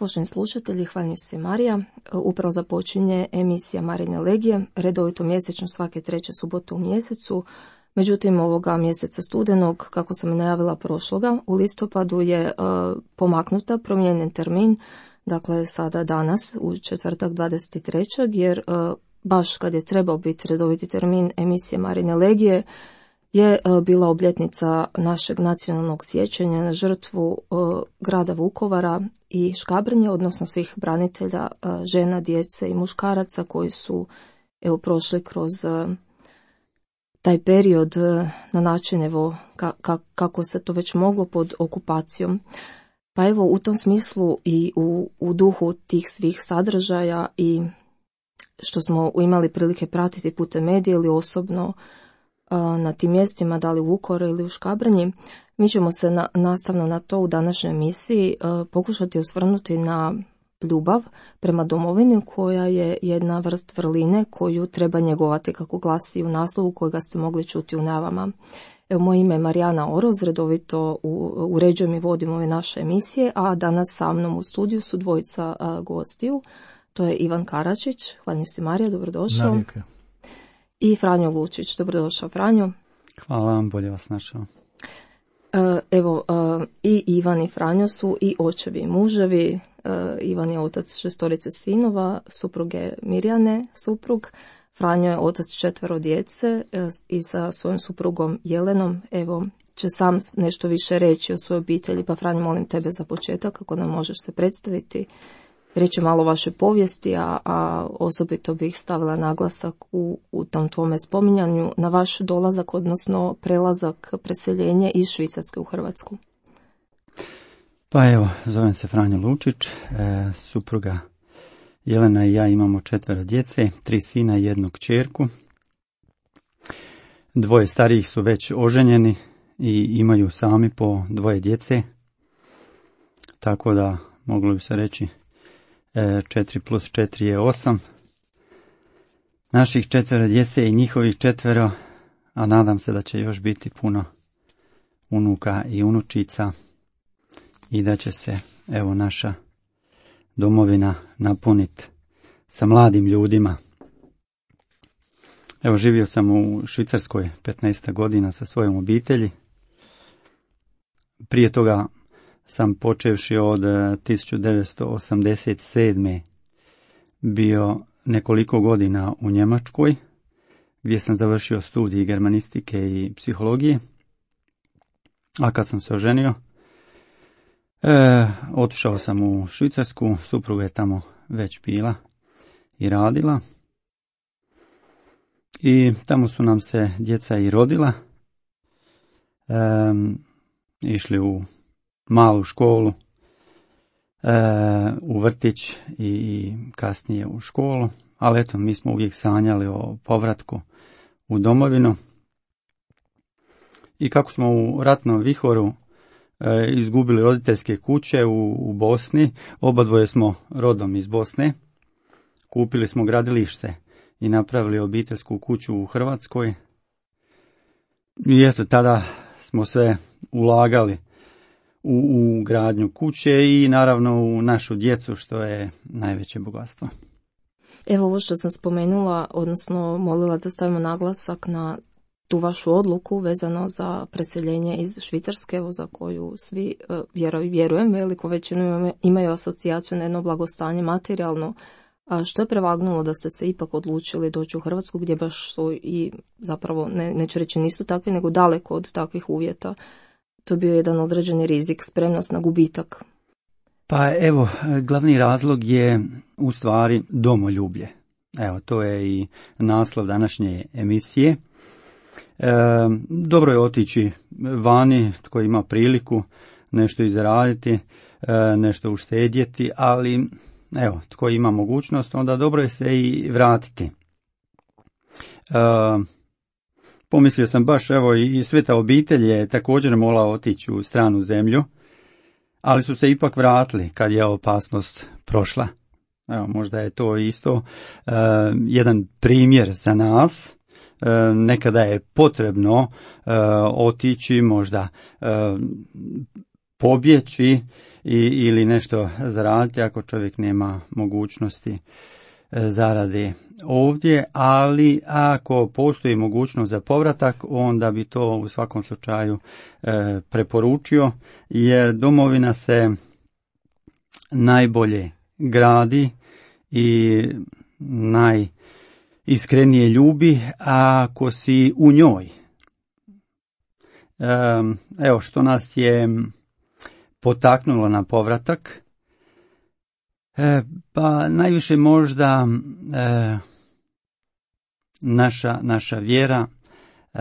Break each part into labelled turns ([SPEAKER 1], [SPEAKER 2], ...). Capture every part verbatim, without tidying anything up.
[SPEAKER 1] Poštovani slušatelji, hvala se Marija. Upravo započinje emisija Marine Legije, redovito mjesečno svake treće subote u mjesecu. Međutim, ovoga mjeseca studenog, kako sam i najavila prošloga, u listopadu je uh, pomaknuta, promijenjen termin, dakle sada danas u četvrtak dvadeset trećeg jer uh, baš kad je trebao biti redoviti termin emisije Marine Legije, je bila obljetnica našeg nacionalnog sjećanja na žrtvu grada Vukovara i Škabrnje, odnosno svih branitelja, žena, djece i muškaraca koji su evo prošli kroz taj period na način evo ka, ka, kako se to već moglo pod okupacijom. Pa evo u tom smislu i u, u duhu tih svih sadržaja i što smo imali prilike pratiti putem medija ili osobno na tim mjestima, da li u Vukovaru ili u Škabrnji, mi ćemo se na, nastavno na to u današnjoj emisiji uh, pokušati osvrnuti na ljubav prema domovini, koja je jedna vrst vrline koju treba njegovati, kako glasi u naslovu kojega ste mogli čuti u najavama. Evo, moje ime je Marijana Oroz, redovito u, uređujem i vodim ove naše emisije, a danas sa mnom u studiju su dvojica uh, gostiju. To je Ivan Karačić, hvala si Marija, dobrodošao.
[SPEAKER 2] Navijek.
[SPEAKER 1] I Franjo Lučić, dobrodošao Franjo.
[SPEAKER 2] Hvala vam, bolje vas našao.
[SPEAKER 1] Evo, i Ivan i Franjo su i očevi i muževi. Ivan je otac šestorice sinova, supruge Mirjane, suprug. Franjo je otac četvero djece i sa svojom suprugom Jelenom. Evo, će sam nešto više reći o svojoj obitelji, pa Franjo, molim tebe za početak, ako nam možeš se predstaviti. Reći malo o vašoj povijesti, a, a osobito bih stavila naglasak u, u tom tvome spominjanju na vaš dolazak, odnosno prelazak, preseljenje iz Švicarske u Hrvatsku.
[SPEAKER 2] Pa evo, zovem se Franjo Lučić, e, supruga Jelena i ja imamo četvero djece, tri sina i jednu kćerku. Dvoje starijih su već oženjeni i imaju sami po dvoje djece, tako da moglo bi se reći četiri plus četiri je osam. Naših četvero djece i njihovih četvero, a nadam se da će još biti puno unuka i unučica i da će se evo naša domovina napuniti sa mladim ljudima. Evo, živio sam u Švicarskoj petnaest godina sa svojom obitelji. Prije toga sam počevši od tisuću devetsto osamdeset sedme bio nekoliko godina u Njemačkoj, gdje sam završio studij germanistike i psihologije. A kad sam se oženio, e, otišao sam u Švicarsku, supruga je tamo već bila i radila. I tamo su nam se djeca i rodila. E, išli u malu školu, e, u vrtić i kasnije u školu, ali eto, mi smo uvijek sanjali o povratku u domovinu. I kako smo u ratnom vihoru e, izgubili roditeljske kuće u, u Bosni, oba dvoje smo rodom iz Bosne, kupili smo gradilište i napravili obiteljsku kuću u Hrvatskoj. I eto, tada smo sve ulagali U, u gradnju kuće i naravno u našu djecu, što je najveće bogatstvo.
[SPEAKER 1] Evo ovo što sam spomenula, odnosno molila da stavimo naglasak na tu vašu odluku vezano za preseljenje iz Švicarske, evo za koju svi vjerujem, vjerujem veliku većinu imaju asocijaciju na jedno blagostanje materijalno. A što je prevagnulo da ste se ipak odlučili doći u Hrvatsku, gdje baš su i zapravo, ne, neću reći nisu takvi, nego daleko od takvih uvjeta? To je bio jedan određeni rizik, spremnost na gubitak.
[SPEAKER 2] Pa evo, glavni razlog je u stvari domoljublje. Evo, to je i naslov današnje emisije. E, dobro je otići vani, tko ima priliku nešto izraditi, e, nešto uštedjeti, ali evo, tko ima mogućnost, onda dobro je se i vratiti. E, Pomislio sam baš, evo, i sveta obitelj je također morala otići u stranu zemlju, ali su se ipak vratili kad je opasnost prošla. Evo, možda je to isto uh, jedan primjer za nas. Uh, nekada je potrebno uh, otići, možda uh, pobjeći i, ili nešto zaraditi ako čovjek nema mogućnosti zarade ovdje, ali ako postoji mogućnost za povratak, onda bi to u svakom slučaju e, preporučio, jer domovina se najbolje gradi i najiskrenije ljubi ako si u njoj. E, evo što nas je potaknulo na povratak. E, pa najviše možda e, naša, naša vjera. E,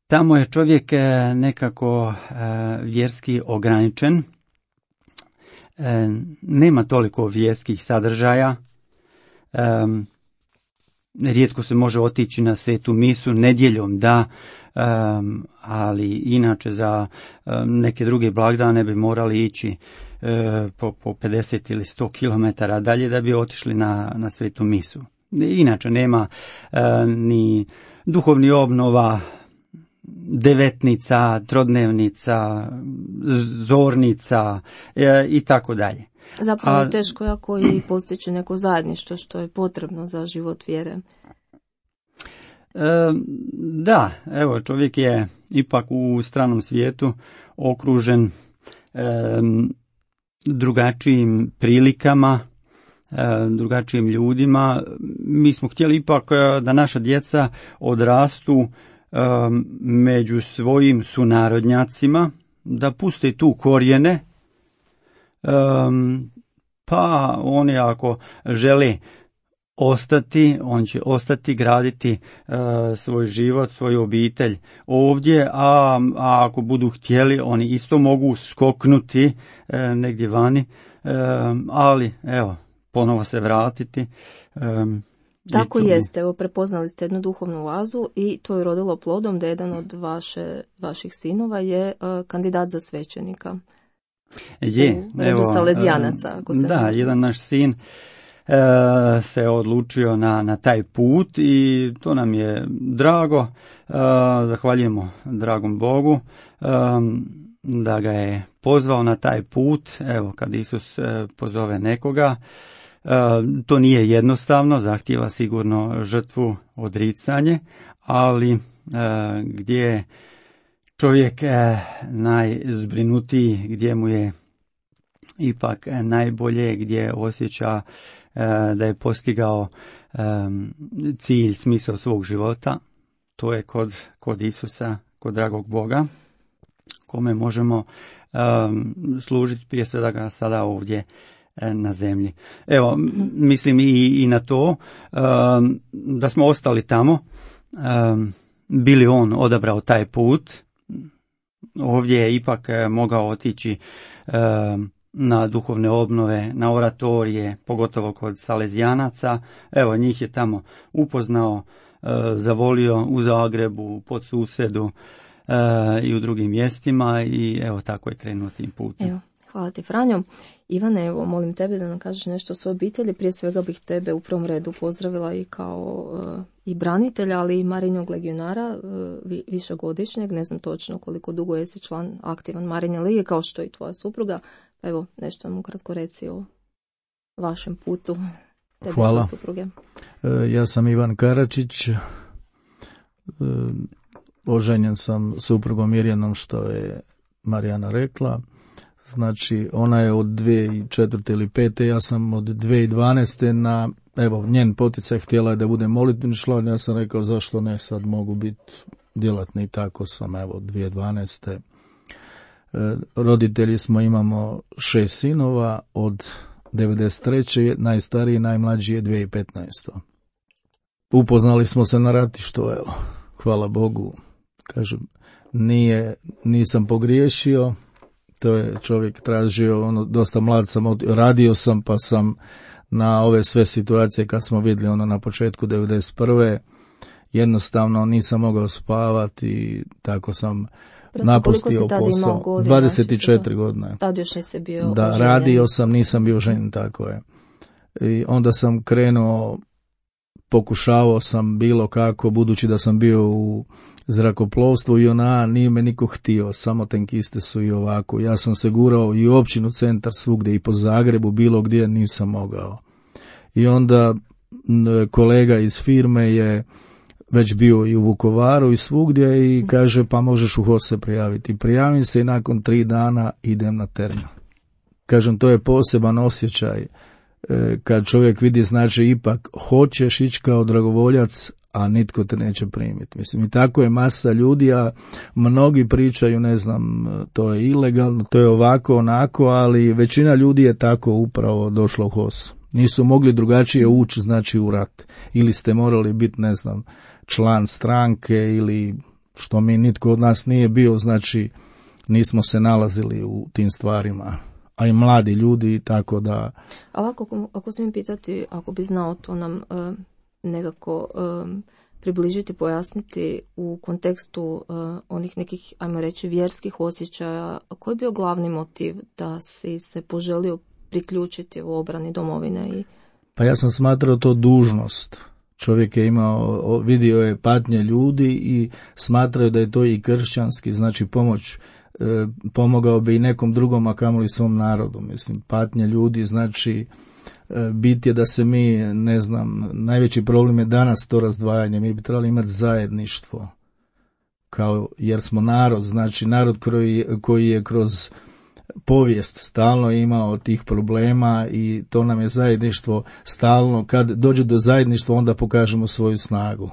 [SPEAKER 2] tamo je čovjek nekako e, vjerski ograničen. E, nema toliko vjerskih sadržaja. E, rijetko se može otići na svetu misu, nedjeljom da, e, ali inače za e, neke druge blagdane bi morali ići Po, po pedeset ili sto kilometara dalje da bi otišli na, na svetu misu. Inače nema e, ni duhovni obnova, devetnica, trodnevnica, zornica e, i tako dalje.
[SPEAKER 1] Zapravo je teško jako i postići neko zajedništvo što je potrebno za život vjere.
[SPEAKER 2] E, da, evo čovjek je ipak u stranom svijetu okružen e, drugačijim prilikama, drugačijim ljudima. Mi smo htjeli ipak da naša djeca odrastu među svojim sunarodnjacima, da puste tu korijene, pa oni ako žele ostati, on će ostati graditi uh, svoj život, svoju obitelj ovdje, a, a ako budu htjeli, oni isto mogu skoknuti uh, negdje vani, uh, ali evo, ponovo se vratiti. Um,
[SPEAKER 1] Tako jeste, evo prepoznali ste jednu duhovnu oazu i to je rodilo plodom da jedan od vaše, vaših sinova je uh, kandidat za svećenika.
[SPEAKER 2] Je,
[SPEAKER 1] u redu Salezijanaca. Ako se
[SPEAKER 2] da,
[SPEAKER 1] može.
[SPEAKER 2] jedan naš sin E, se odlučio na, na taj put i to nam je drago. E, zahvaljujemo dragom Bogu e, da ga je pozvao na taj put. Evo, kad Isus e, pozove nekoga, e, to nije jednostavno, zahtijeva sigurno žrtvu, odricanje, ali e, gdje je čovjek e, najzbrinutiji, gdje mu je ipak najbolje, gdje osjeća da je postigao um, cilj, smisao svog života, to je kod, kod Isusa, kod dragog Boga, kome možemo um, služiti prije svega sada ovdje um, na zemlji. Evo, mm-hmm. mislim i, i na to um, da smo ostali tamo, um, bili on odabrao taj put, ovdje je ipak mogao otići um, na duhovne obnove, na oratorije, pogotovo kod Salezijanaca. Evo, njih je tamo upoznao, e, zavolio u Zagrebu, pod Susedu e, i u drugim mjestima i evo tako je krenuo tim putem.
[SPEAKER 1] Evo, hvala ti, Franjo. Ivane, evo, molim tebe da nam kažeš nešto o svojoj obitelji. Prije svega bih tebe u prvom redu pozdravila i kao e, i branitelja, ali i Marijnog legionara, e, višegodišnjeg, ne znam točno koliko dugo jesi član aktivan Marijine lige, kao što i tvoja supruga. Evo, nešto nam ukratko reci o vašem putu.
[SPEAKER 3] Hvala.
[SPEAKER 1] Supruge.
[SPEAKER 3] Ja sam Ivan Karačić, oženjen sam suprugom Mirjanom, što je Marijana rekla. Znači, ona je od dvije tisuće četvrte ili pete, ja sam od dvije tisuće dvanaeste na, evo, njen poticaj htjela je da bude molitveni član, ja sam rekao zašto ne, sad mogu biti djelatni, tako sam, evo, dvije tisuće dvanaeste. Roditelji smo, imamo šest sinova od devedeset treće najstariji, najmlađi je dvije tisuće petnaeste. Upoznali smo se na ratištu, evo, hvala Bogu, kažem, nije, nisam pogriješio, to je čovjek tražio, ono, dosta mlad sam, radio sam pa sam na ove sve situacije kad smo vidjeli ono na početku devedeset prve jednostavno nisam mogao spavati i tako sam napustio posao.
[SPEAKER 1] Godina,
[SPEAKER 3] dvadeset četiri godine.
[SPEAKER 1] Tad još nisi bio
[SPEAKER 3] Da,
[SPEAKER 1] oženjen.
[SPEAKER 3] radio sam, nisam bio ženjen, tako je. I onda sam krenuo pokušavao sam bilo kako, budući da sam bio u zrakoplovstvu i ona nije me niko htio, samo tenkiste su i ovako. Ja sam se gurao i u općinu centar svugdje i po Zagrebu, bilo gdje nisam mogao. I onda kolega iz firme je već bio i u Vukovaru i svugdje i kaže pa možeš u H O S se prijaviti. Prijavim se i nakon tri dana idem na teren. Kažem, to je poseban osjećaj kad čovjek vidi, znači ipak hoćeš ići kao dragovoljac, a nitko te neće primiti. Mislim, i tako je masa ljudi, a mnogi pričaju, ne znam, to je ilegalno, to je ovako, onako, ali većina ljudi je tako upravo došla u H O S. Nisu mogli drugačije ući, znači u rat. Ili ste morali biti, ne znam, član stranke ili što mi nitko od nas nije bio, znači nismo se nalazili u tim stvarima. A i mladi ljudi, tako da...
[SPEAKER 1] A ovako, ako smijem pitati, ako bi znao to nam uh, nekako uh, približiti, pojasniti u kontekstu uh, onih nekih, ajmo reći, vjerskih osjećaja, koji je bio glavni motiv da si se poželio priključiti u obrani domovine? I...
[SPEAKER 3] Pa ja sam smatrao to dužnost. Čovjek je imao, vidio je patnje ljudi i smatrao da je to i kršćanski, znači pomoć, e, pomogao bi i nekom drugom, a kamoli svom narodu. Mislim, patnje ljudi, znači e, bit je da se mi, ne znam, najveći problem je danas to razdvajanje, mi bi trebali imati zajedništvo, kao, jer smo narod, znači narod koji, koji je kroz povijest stalno imao tih problema i to nam je zajedništvo stalno. Kad dođe do zajedništva onda pokažemo svoju snagu.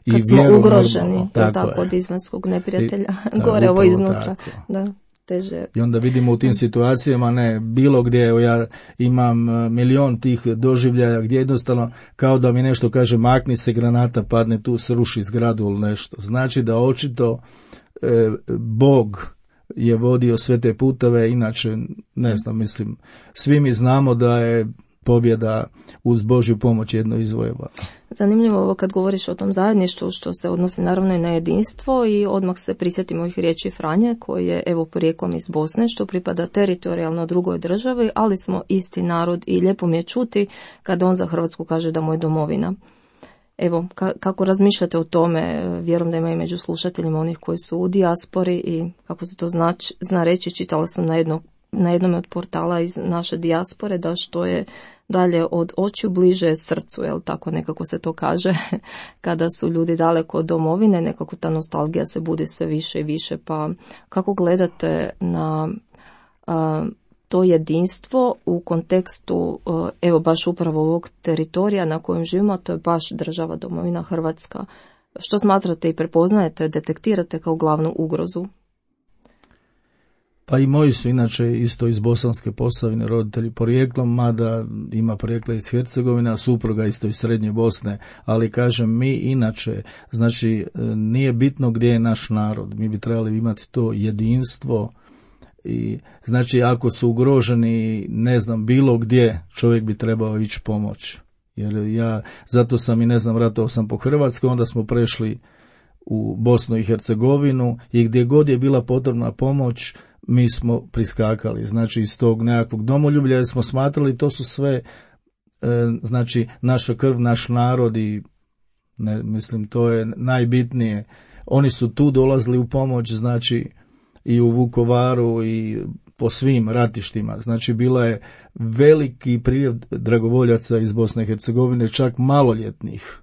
[SPEAKER 3] I
[SPEAKER 1] kad smo
[SPEAKER 3] vjeru,
[SPEAKER 1] ugroženi,
[SPEAKER 3] normalno,
[SPEAKER 1] tako,
[SPEAKER 3] tako
[SPEAKER 1] od izvanjskog neprijatelja,
[SPEAKER 3] I,
[SPEAKER 1] gore
[SPEAKER 3] da,
[SPEAKER 1] ovo iznutra.
[SPEAKER 3] Tako.
[SPEAKER 1] Da, teže.
[SPEAKER 3] I onda vidimo u tim situacijama, ne, bilo gdje, evo ja imam milion tih doživljaja gdje jednostavno kao da mi nešto kaže makni se, granata padne tu, sruši zgradu ili nešto. Znači da očito e, Bog je vodio sve te puteve, inače, ne znam, mislim, svi mi znamo da je pobjeda uz Božju pomoć jedno izvojeva.
[SPEAKER 1] Zanimljivo ovo kad govoriš o tom zajedništvu, što se odnosi naravno i na jedinstvo, i odmah se prisjetimo ovih riječi Franje, koji je evo porijeklom iz Bosne, što pripada teritorijalno drugoj državi, ali smo isti narod i lijepo mi je čuti kada on za Hrvatsku kaže da mu je domovina. Evo, ka- kako razmišljate o tome? Vjerujem da ima i među slušateljima onih koji su u dijaspori i kako se to zna, zna reći, čitala sam na, jedno, na jednom od portala iz naše dijaspore da što je dalje od očiju bliže je srcu, jel tako nekako se to kaže, kada su ljudi daleko od domovine, nekako ta nostalgija se budi sve više i više. Pa kako gledate na a, to jedinstvo u kontekstu, evo baš upravo ovog teritorija na kojem živimo, a to je baš država domovina Hrvatska. Što smatrate i prepoznajete, detektirate kao glavnu ugrozu?
[SPEAKER 3] Pa i moji su inače isto iz Bosanske Posavine roditelji porijeklom, mada ima porijekla iz Hercegovine, a supruga isto iz Srednje Bosne, ali kažem mi inače, znači nije bitno gdje je naš narod, mi bi trebali imati to jedinstvo. I znači ako su ugroženi, ne znam, bilo gdje, čovjek bi trebao ići pomoć. Jer ja, zato sam i ne znam, ratovao sam po Hrvatskoj, onda smo prešli u Bosnu i Hercegovinu i gdje god je bila potrebna pomoć, mi smo priskakali. Znači iz tog nekakvog domoljublja smo smatrali, to su sve, e, znači naša krv, naš narod i ne, mislim to je najbitnije. Oni su tu dolazili u pomoć, znači i u Vukovaru i po svim ratištima. Znači bila je veliki priljev dragovoljaca iz Bosne i Hercegovine, čak maloljetnih.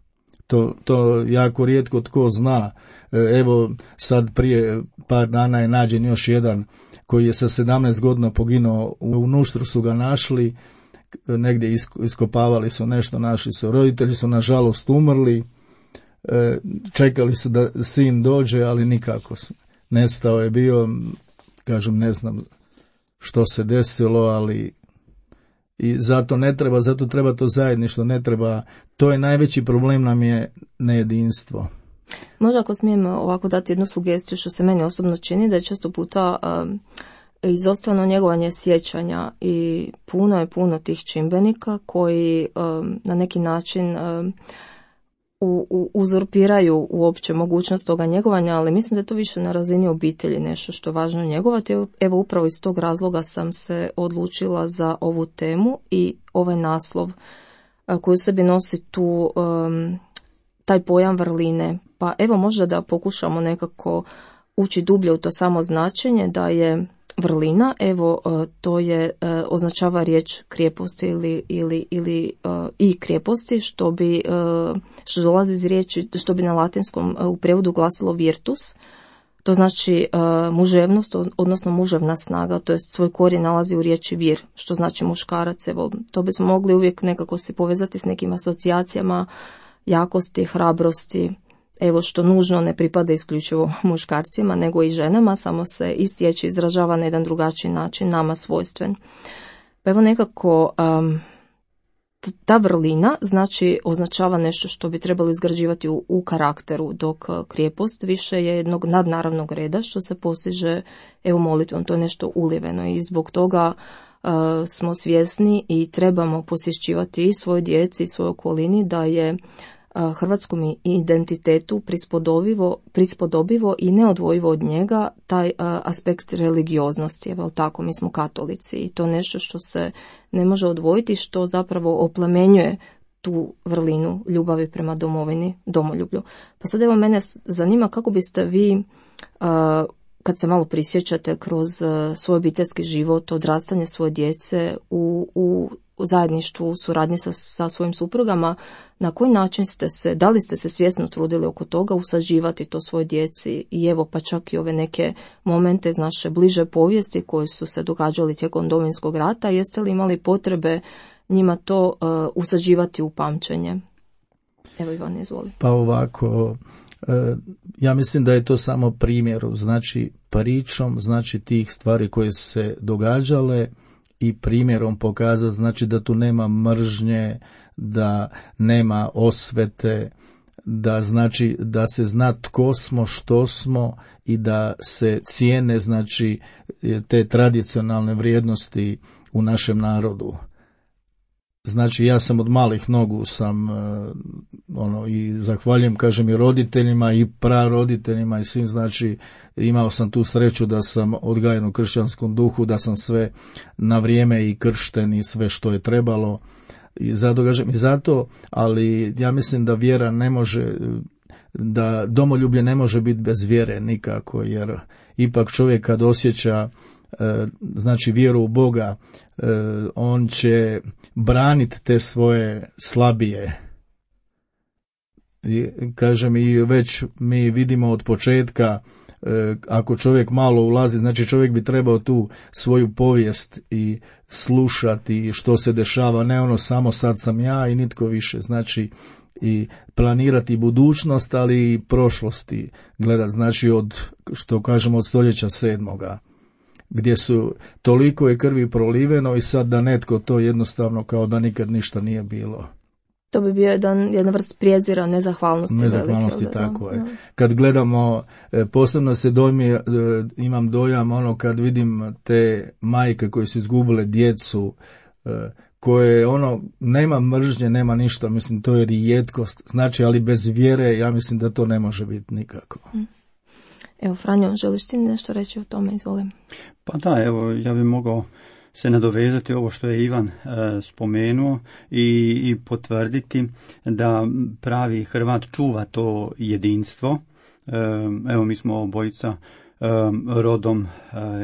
[SPEAKER 3] To, to jako rijetko tko zna. Evo sad prije par dana je nađen još jedan koji je sa sedamnaest godina poginuo. U Nuštru su ga našli, negdje iskopavali su nešto, našli su. Roditelji su nažalost umrli, čekali su da sin dođe, ali nikako su. Nestao je bio, kažem, ne znam što se desilo, ali i zato ne treba, zato treba to zajedništvo, ne treba, to je najveći problem nam je nejedinstvo.
[SPEAKER 1] Možda ako smijem ovako dati jednu sugestiju što se meni osobno čini, da je često puta um, izostavljeno njegovanje sjećanja i puno je puno tih čimbenika koji um, na neki način um, U, u, uzurpiraju uopće mogućnost toga njegovanja, ali mislim da je to više na razini obitelji nešto što je važno njegovati. Evo upravo iz tog razloga sam se odlučila za ovu temu i ovaj naslov koji u sebi nosi tu, um, taj pojam vrline. Pa evo možda da pokušamo nekako ući dublje u to samo značenje da je vrlina, evo to je, označava riječ krijeposti ili, ili, ili i krijeposti, što bi, što dolazi iz riječi, što bi na latinskom u prevodu glasilo virtus. To znači muževnost, odnosno muževna snaga, to jest svoj korijen nalazi u riječi vir, što znači muškarac. Evo, to bismo mogli uvijek nekako se povezati s nekim asocijacijama jakosti, hrabrosti, evo što nužno ne pripada isključivo muškarcima, nego i ženama, samo se istječe izražava na jedan drugačiji način, nama svojstven. Pa evo nekako um, ta vrlina znači označava nešto što bi trebalo izgrađivati u, u karakteru, dok krijepost više je jednog nadnaravnog reda što se postiže evo molitvom, to je nešto uliveno i zbog toga uh, smo svjesni i trebamo posjećivati i svoj djeci i svojoj okolini da je hrvatskom identitetu prispodobivo, prispodobivo i neodvojivo od njega taj a, aspekt religioznosti. Evo tako, mi smo katolici i to nešto što se ne može odvojiti, što zapravo oplemenjuje tu vrlinu ljubavi prema domovini, domoljublju. Pa sad evo mene zanima kako biste vi, a, kad se malo prisjećate kroz a, svoj obiteljski život, odrastanje svoje djece u, u u zajedništvu, u suradnji sa, sa svojim suprugama, na koji način ste se, da li ste se svjesno trudili oko toga usađivati to svoj djeci i evo pa čak i ove neke momente iz naše bliže povijesti koji su se događali tijekom Domovinskog rata, jeste li imali potrebe njima to uh, usađivati u pamćenje? Evo Ivan, izvoli.
[SPEAKER 3] Pa ovako, ja mislim da je to samo primjeru, znači pričom, znači tih stvari koje su se događale i primjerom pokazati, znači da tu nema mržnje, da nema osvete, da znači da se zna tko smo, što smo i da se cijene znači te tradicionalne vrijednosti u našem narodu. Znači ja sam od malih nogu sam ono i zahvaljujem kažem i roditeljima i praroditeljima i svim, znači imao sam tu sreću da sam odgajen u kršćanskom duhu, da sam sve na vrijeme i kršten i sve što je trebalo i zato kažem i zato, ali ja mislim da vjera ne može, da domoljublje ne može biti bez vjere nikako, jer ipak čovjek kad osjeća znači vjeru u Boga, on će braniti te svoje slabije. I, kažem i već mi vidimo od početka, ako čovjek malo ulazi, znači čovjek bi trebao tu svoju povijest i slušati što se dešava, ne ono samo sad sam ja i nitko više, znači i planirati budućnost, ali i prošlosti gledati, znači od, što kažemo, od stoljeća sedmoga, gdje su toliko je krvi proliveno i sad da netko to jednostavno kao da nikad ništa nije bilo.
[SPEAKER 1] To bi bio jedan, jedna vrst prijezira, nezahvalnosti.
[SPEAKER 3] Nezahvalnosti,
[SPEAKER 1] velike,
[SPEAKER 3] tako
[SPEAKER 1] da,
[SPEAKER 3] je.
[SPEAKER 1] Da.
[SPEAKER 3] Kad gledamo, posebno se dojmi, imam dojam ono kad vidim te majke koje su izgubile djecu, koje ono, nema mržnje, nema ništa, mislim to je rijetkost, znači ali bez vjere ja mislim da to ne može biti nikako.
[SPEAKER 1] Evo Franjo, želiš ti nešto reći o tome, izvolim?
[SPEAKER 2] Pa da, evo ja bih mogao se nadovezati ovo što je Ivan e, spomenuo i, i potvrditi da pravi Hrvat čuva to jedinstvo. E, evo mi smo obojica e, rodom e,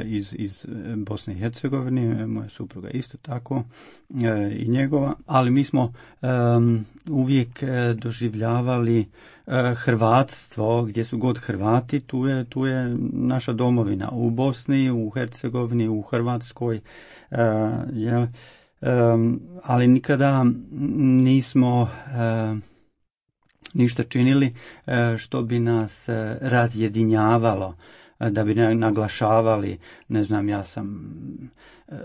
[SPEAKER 2] iz, iz Bosne i Hercegovine, moja supruga isto tako e, i njegova, ali mi smo e, uvijek e, doživljavali e, hrvatstvo, gdje su god Hrvati, tu je, tu je naša domovina, u Bosni, u Hercegovini, u Hrvatskoj. Uh, jel, um, ali nikada nismo uh, ništa činili uh, što bi nas uh, razjedinjavalo, uh, da bi naglašavali, ne znam, ja sam uh,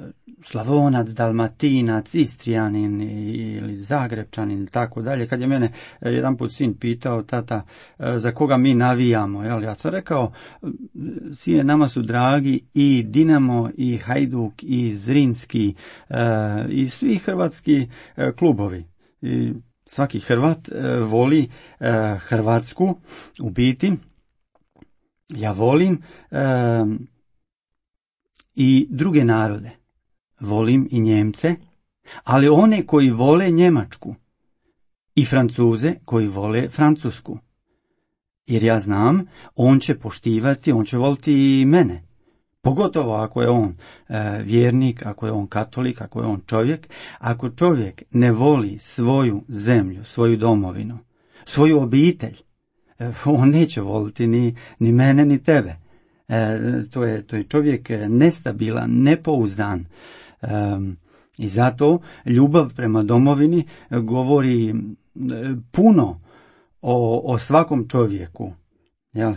[SPEAKER 2] Slavonac, Dalmatinac, Istrijanin ili Zagrebčanin ili tako dalje. Kad je mene uh, jedan put sin pitao, tata, uh, za koga mi navijamo, jel? Ja sam rekao, sine, nama su dragi i Dinamo, i Hajduk, i Zrinski, uh, i svi hrvatski uh, klubovi. I svaki Hrvat uh, voli uh, Hrvatsku, u biti. Ja volim uh, i druge narode. Volim i Njemce, ali one koji vole Njemačku, i Francuze koji vole Francusku. Jer ja znam, on će poštivati, on će voliti i mene. Pogotovo ako je on e, vjernik, ako je on katolik, ako je on čovjek. Ako čovjek ne voli svoju zemlju, svoju domovinu, svoju obitelj, e, on neće voliti ni, ni mene, ni tebe. E, to, je, to je čovjek nestabilan, nepouzdan. E, I zato ljubav prema domovini govori puno o, o svakom čovjeku. Jel? E,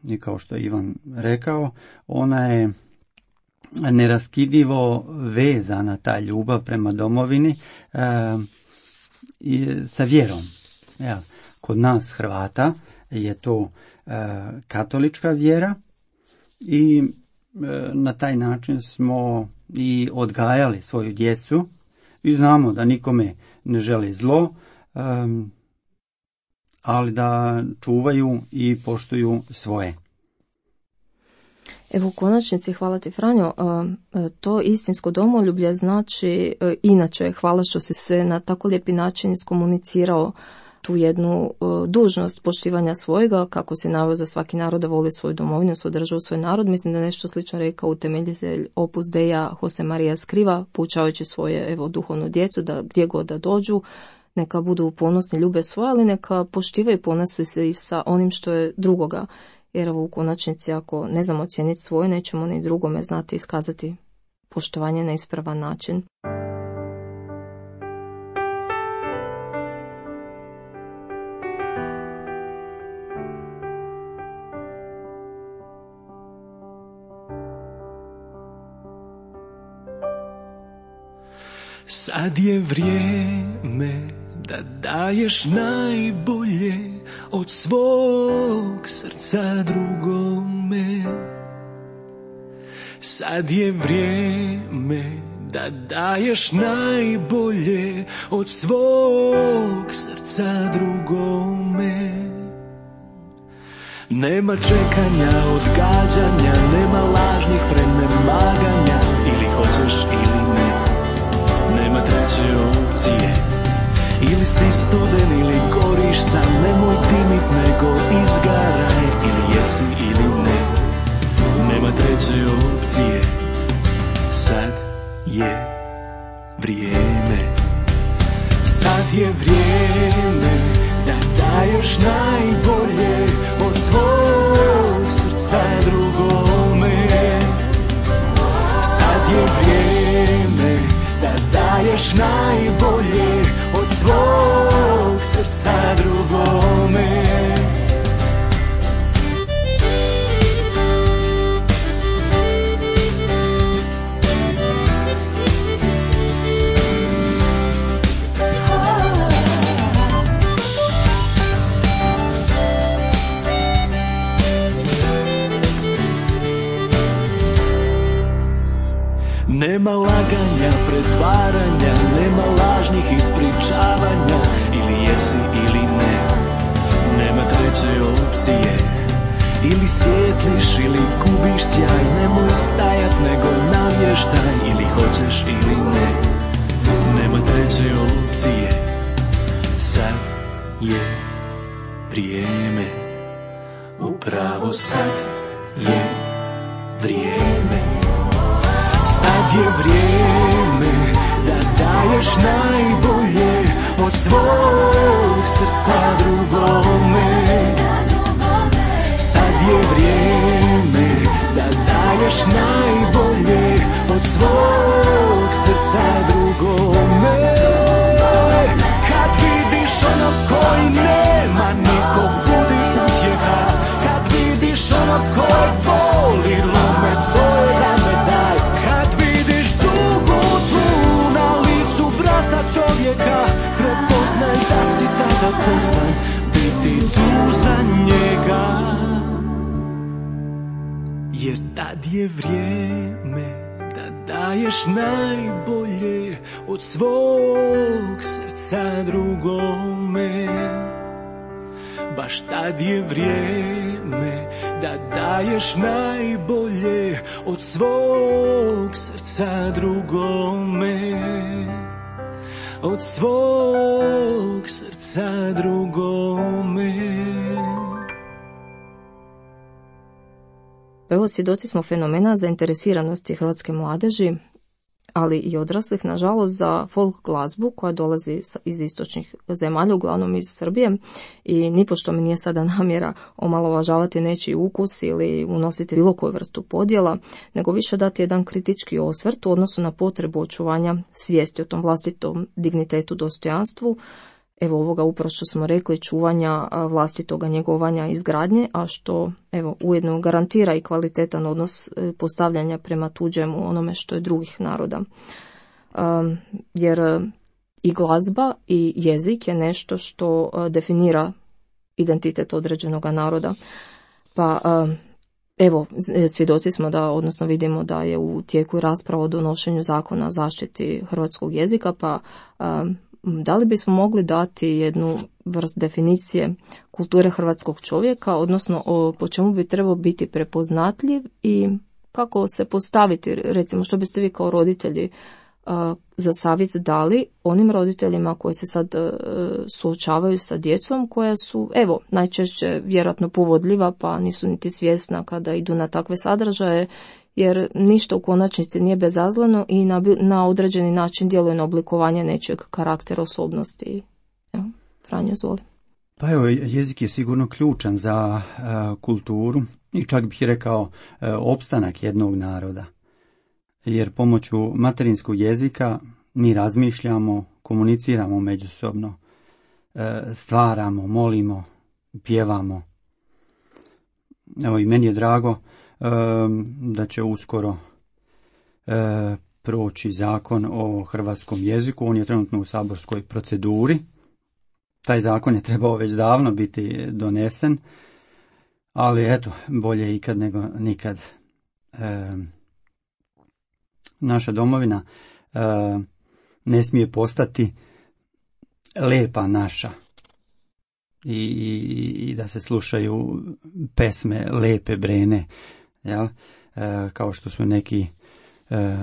[SPEAKER 2] I kao što je Ivan rekao, ona je neraskidivo vezana, ta ljubav prema domovini, e, i sa vjerom. Jel? Kod nas Hrvata je to e, katolička vjera i e, na taj način smo i odgajali svoju djecu i znamo da nikome ne želi zlo, um, ali da čuvaju i poštuju svoje.
[SPEAKER 1] Evo u konačnici, hvala ti Franjo, to istinsko domoljublje znači, inače hvala što si se na tako lijepi način iskomunicirao tu jednu dužnost poštivanja svojega, kako se naveo za svaki narod da voli svoju domovinu, svoju državu, svoj narod. Mislim da nešto slično rekao utemeljitelj Opus Deja Jose Maria Escriva, poučavajući svoje evo duhovnu djecu da gdje god da dođu, neka budu ponosni, ljube svoje, ali neka poštivaju i ponose se i sa onim što je drugoga. Jer evo u konačnici ako ne znamo ocijeniti svoje, nećemo ni drugome znati iskazati poštovanje na ispravan način.
[SPEAKER 4] Sad je vrijeme da daješ najbolje od svog srca drugome. Sad je vrijeme da daješ najbolje od svog srca drugome. Nema čekanja, odgađanja, nema lažnih prenemaganja, ili hoćeš ili ne. Nema treće opcije, ili si studen ili goriš sam, nemoj dimit nego izgaraj, ili jesi ili ne. Nema treće opcije, sad je vrijeme. Sad je vrijeme da daješ najbolje od svog srca drugome. Sad je vrijeme da daješ najbolje od svog srca drugome. Nema laganja, pretvaranja, nema lažnih ispričavanja, ili jesi ili ne. Nema treće opcije, ili svijetliš ili gubiš sjaj, nemoj stajat nego navještaj, ili hoćeš ili ne. Nema treće opcije, sad je vrijeme, upravo sad je vrijeme. Sad je vrijeme da daješ najbolje od svog srca drugome. Sad je vrijeme da daješ najbolje od svog srca drugome. Kad vidiš onog koji nema nikog, budi utjeha. Kad vidiš onog koji voli, lome svoje rame daj. Čovjeka, prepoznaj da si tada pozvan biti tu za njega. Jer tad je vrijeme da daješ najbolje od svog srca drugome. Baš tad je vrijeme da daješ najbolje od svog srca drugome. od svog srca drugome.
[SPEAKER 1] Evo, svjedoci smo fenomena zainteresiranosti hrvatske mladeži, ali i odraslih, nažalost, za folk glazbu koja dolazi iz istočnih zemalja, uglavnom iz Srbije, i nipošto mi nije sada namjera omalovažavati nečiji ukus ili unositi bilo koju vrstu podjela, nego više dati jedan kritički osvrt u odnosu na potrebu očuvanja svijesti o tom vlastitom dignitetu, dostojanstvu, evo ovoga upravo što smo rekli, čuvanja vlastitoga njegovanja i izgradnje, a što evo ujedno garantira i kvalitetan odnos postavljanja prema tuđemu, onome što je drugih naroda. Um, jer i glazba i jezik je nešto što definira identitet određenog naroda. Pa um, evo, svjedoci smo da, odnosno vidimo da je u tijeku rasprava o donošenju zakona o zaštiti hrvatskog jezika, pa um, da li bismo mogli dati jednu vrst definicije kulture hrvatskog čovjeka, odnosno o, po čemu bi trebao biti prepoznatljiv i kako se postaviti, recimo što biste vi kao roditelji uh, za savjet dali onim roditeljima koji se sad uh, suočavaju sa djecom koja su, evo, najčešće vjerojatno povodljiva pa nisu niti svjesna kada idu na takve sadržaje, jer ništa u konačnici nije bezazleno i na, na određeni način djeluje na oblikovanje nečeg karaktera, osobnosti. Evo, Franjo, izvoli.
[SPEAKER 2] Pa evo, jezik je sigurno ključan za uh, kulturu i čak bih rekao uh, opstanak jednog naroda. Jer pomoću materinskog jezika mi razmišljamo, komuniciramo međusobno, uh, stvaramo, molimo, pjevamo. Evo, i meni je drago da će uskoro e, proći zakon o hrvatskom jeziku. On je trenutno u saborskoj proceduri. Taj zakon je trebao već davno biti donesen, ali eto, bolje ikad nego nikad. E, naša domovina e, ne smije postati lepa naša. I, i, i da se slušaju pesme lepe Brene, jel? E, kao što su neki e,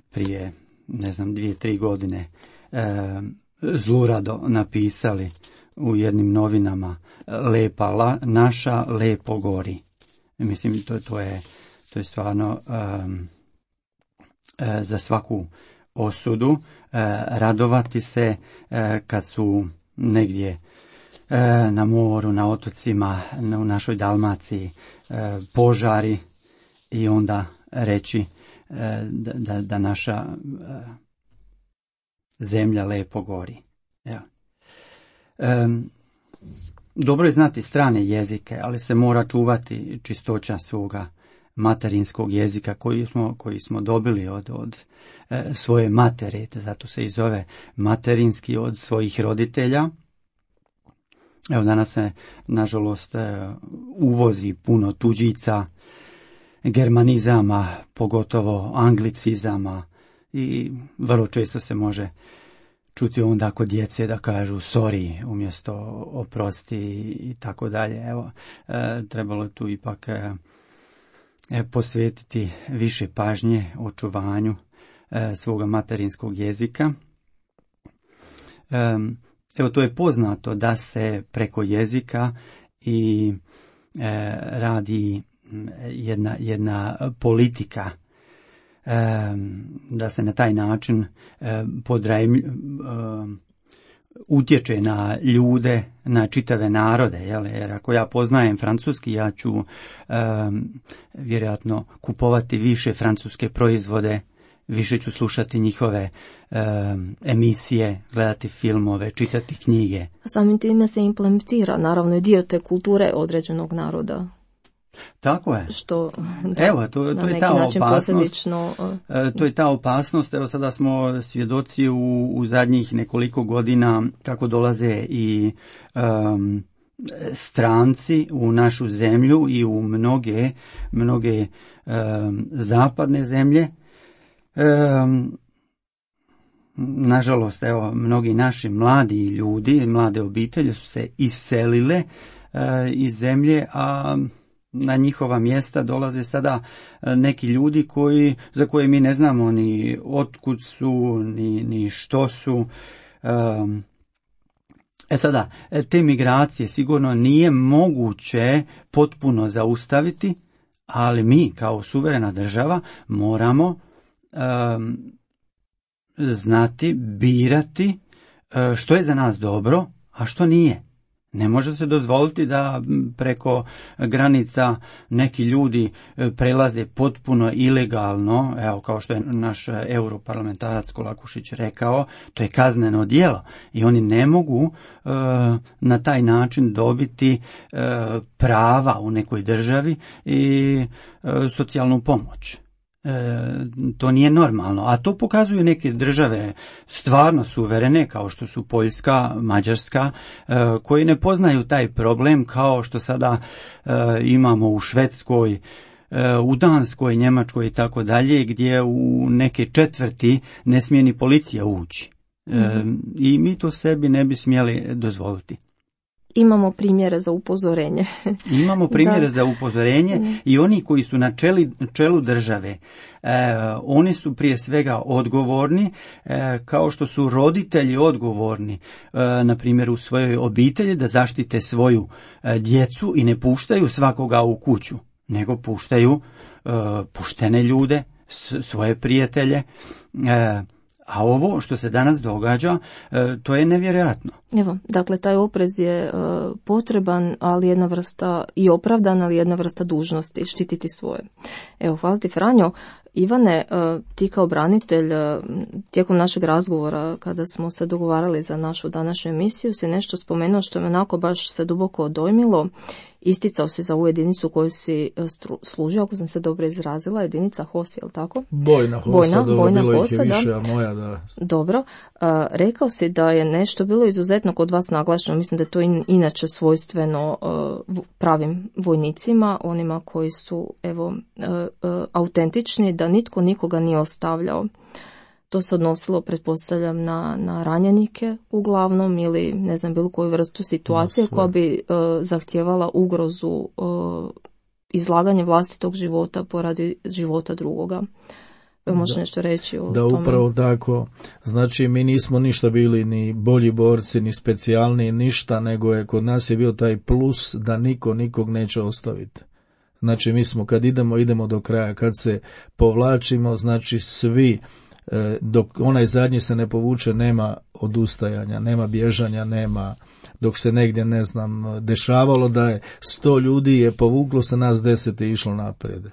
[SPEAKER 2] prije, ne znam, dvije, tri godine e, zlurado napisali u jednim novinama, lepa la, naša lepo gori. Mislim, to, to, je, to je stvarno e, e, za svaku osudu, e, radovati se e, kad su negdje na moru, na otocima, u našoj Dalmaciji požari i onda reći da, da, da naša zemlja lepo gori. Ja. Dobro je znati strane jezike, ali se mora čuvati čistoća svoga materinskog jezika koji smo, koji smo dobili od, od svoje matere, zato se i zove materinski, od svojih roditelja. Evo, danas se, nažalost, uvozi puno tuđica, germanizama, pogotovo anglicizama, i vrlo često se može čuti onda kod djece da kažu sorry umjesto oprosti i tako dalje. Evo, trebalo tu ipak posvetiti više pažnje očuvanju svoga materinskog jezika. Evo, to je poznato da se preko jezika i e, radi jedna, jedna politika, e, da se na taj način e, podrajm, e, utječe na ljude, na čitave narode. Jel? Jer ako ja poznajem francuski, ja ću e, vjerojatno kupovati više francuske proizvode, više ću slušati njihove e, emisije, gledati filmove, čitati knjige.
[SPEAKER 1] Samim time se implementira, naravno, i dio te kulture određenog naroda.
[SPEAKER 2] Tako je.
[SPEAKER 1] Što, da,
[SPEAKER 2] evo, to, to je ta opasnost. E, to je ta opasnost. Evo, sada smo svjedoci u, u zadnjih nekoliko godina kako dolaze i um, stranci u našu zemlju i u mnoge, mnoge um, zapadne zemlje. Um, nažalost, evo, mnogi naši mladi ljudi, mlade obitelji su se iselile uh, iz zemlje, a na njihova mjesta dolaze sada neki ljudi koji, za koje mi ne znamo ni otkud su, ni, ni što su. Um, E sada, te migracije sigurno nije moguće potpuno zaustaviti, ali mi kao suverena država moramo um, znati, birati uh, što je za nas dobro, a što nije. Ne može se dozvoliti da preko granica neki ljudi prelaze potpuno ilegalno, evo kao što je naš europarlamentarac Kolakušić rekao, to je kazneno djelo i oni ne mogu uh, na taj način dobiti uh, prava u nekoj državi i uh, socijalnu pomoć. E, to nije normalno, a to pokazuju neke države stvarno suverene kao što su Poljska, Mađarska, e, koji ne poznaju taj problem kao što sada e, imamo u Švedskoj, e, u Danskoj, Njemačkoj i tako dalje, gdje u neke četvrti ne smije ni policija ući. E, mm-hmm. I mi to sebi ne bi smjeli dozvoliti.
[SPEAKER 1] Imamo primjere za upozorenje.
[SPEAKER 2] Imamo primjere
[SPEAKER 1] da.
[SPEAKER 2] za upozorenje mm. i oni koji su na čeli, čelu države, e, oni su prije svega odgovorni, e, kao što su roditelji odgovorni, e, na primjer u svojoj obitelji da zaštite svoju e, djecu i ne puštaju svakoga u kuću, nego puštaju e, poštene ljude, s, svoje prijatelje, e, a ovo što se danas događa, to je nevjerojatno.
[SPEAKER 1] Evo, dakle, taj oprez je uh, potreban, ali jedna vrsta i opravdan, ali jedna vrsta dužnosti, štititi svoje. Evo, hvala ti, Franjo. Ivane, uh, ti kao branitelj, uh, tijekom našeg razgovora, kada smo se dogovarali za našu današnju emisiju, si nešto spomenuo što me onako baš se duboko dojmilo. Isticao si za ovu jedinicu koju si stru, služio, ako sam se dobro izrazila, jedinica H O S, je li tako?
[SPEAKER 3] Bojna H O S,
[SPEAKER 1] Bojna,
[SPEAKER 3] dobro,
[SPEAKER 1] bojna
[SPEAKER 3] bilo
[SPEAKER 1] H O
[SPEAKER 3] ih
[SPEAKER 1] S,
[SPEAKER 3] je više,
[SPEAKER 1] da.
[SPEAKER 3] A moja da.
[SPEAKER 1] Dobro. Uh, rekao si da je nešto bilo izuzetno kod vas naglašeno, mislim da je to in, inače svojstveno uh, pravim vojnicima, onima koji su evo uh, uh, autentični, da nitko nikoga nije ostavljao. To se odnosilo, pretpostavljam, na, na ranjenike uglavnom ili ne znam bilo koju vrstu situacije koja bi uh, zahtijevala ugrozu, uh, izlaganje vlastitog života poradi života drugoga. Možeš da, nešto reći o
[SPEAKER 3] da,
[SPEAKER 1] tome?
[SPEAKER 3] Da, upravo tako. Znači, mi nismo ništa bili ni bolji borci, ni specijalni, ništa, nego je kod nas je bio taj plus da niko nikog neće ostaviti. Znači, mi smo, kad idemo, idemo do kraja. Kad se povlačimo, znači svi, dok onaj zadnji se ne povuče, nema odustajanja, nema bježanja, nema, dok se negdje, ne znam, dešavalo da je sto ljudi je povuklo se, nas deset je išlo naprijed.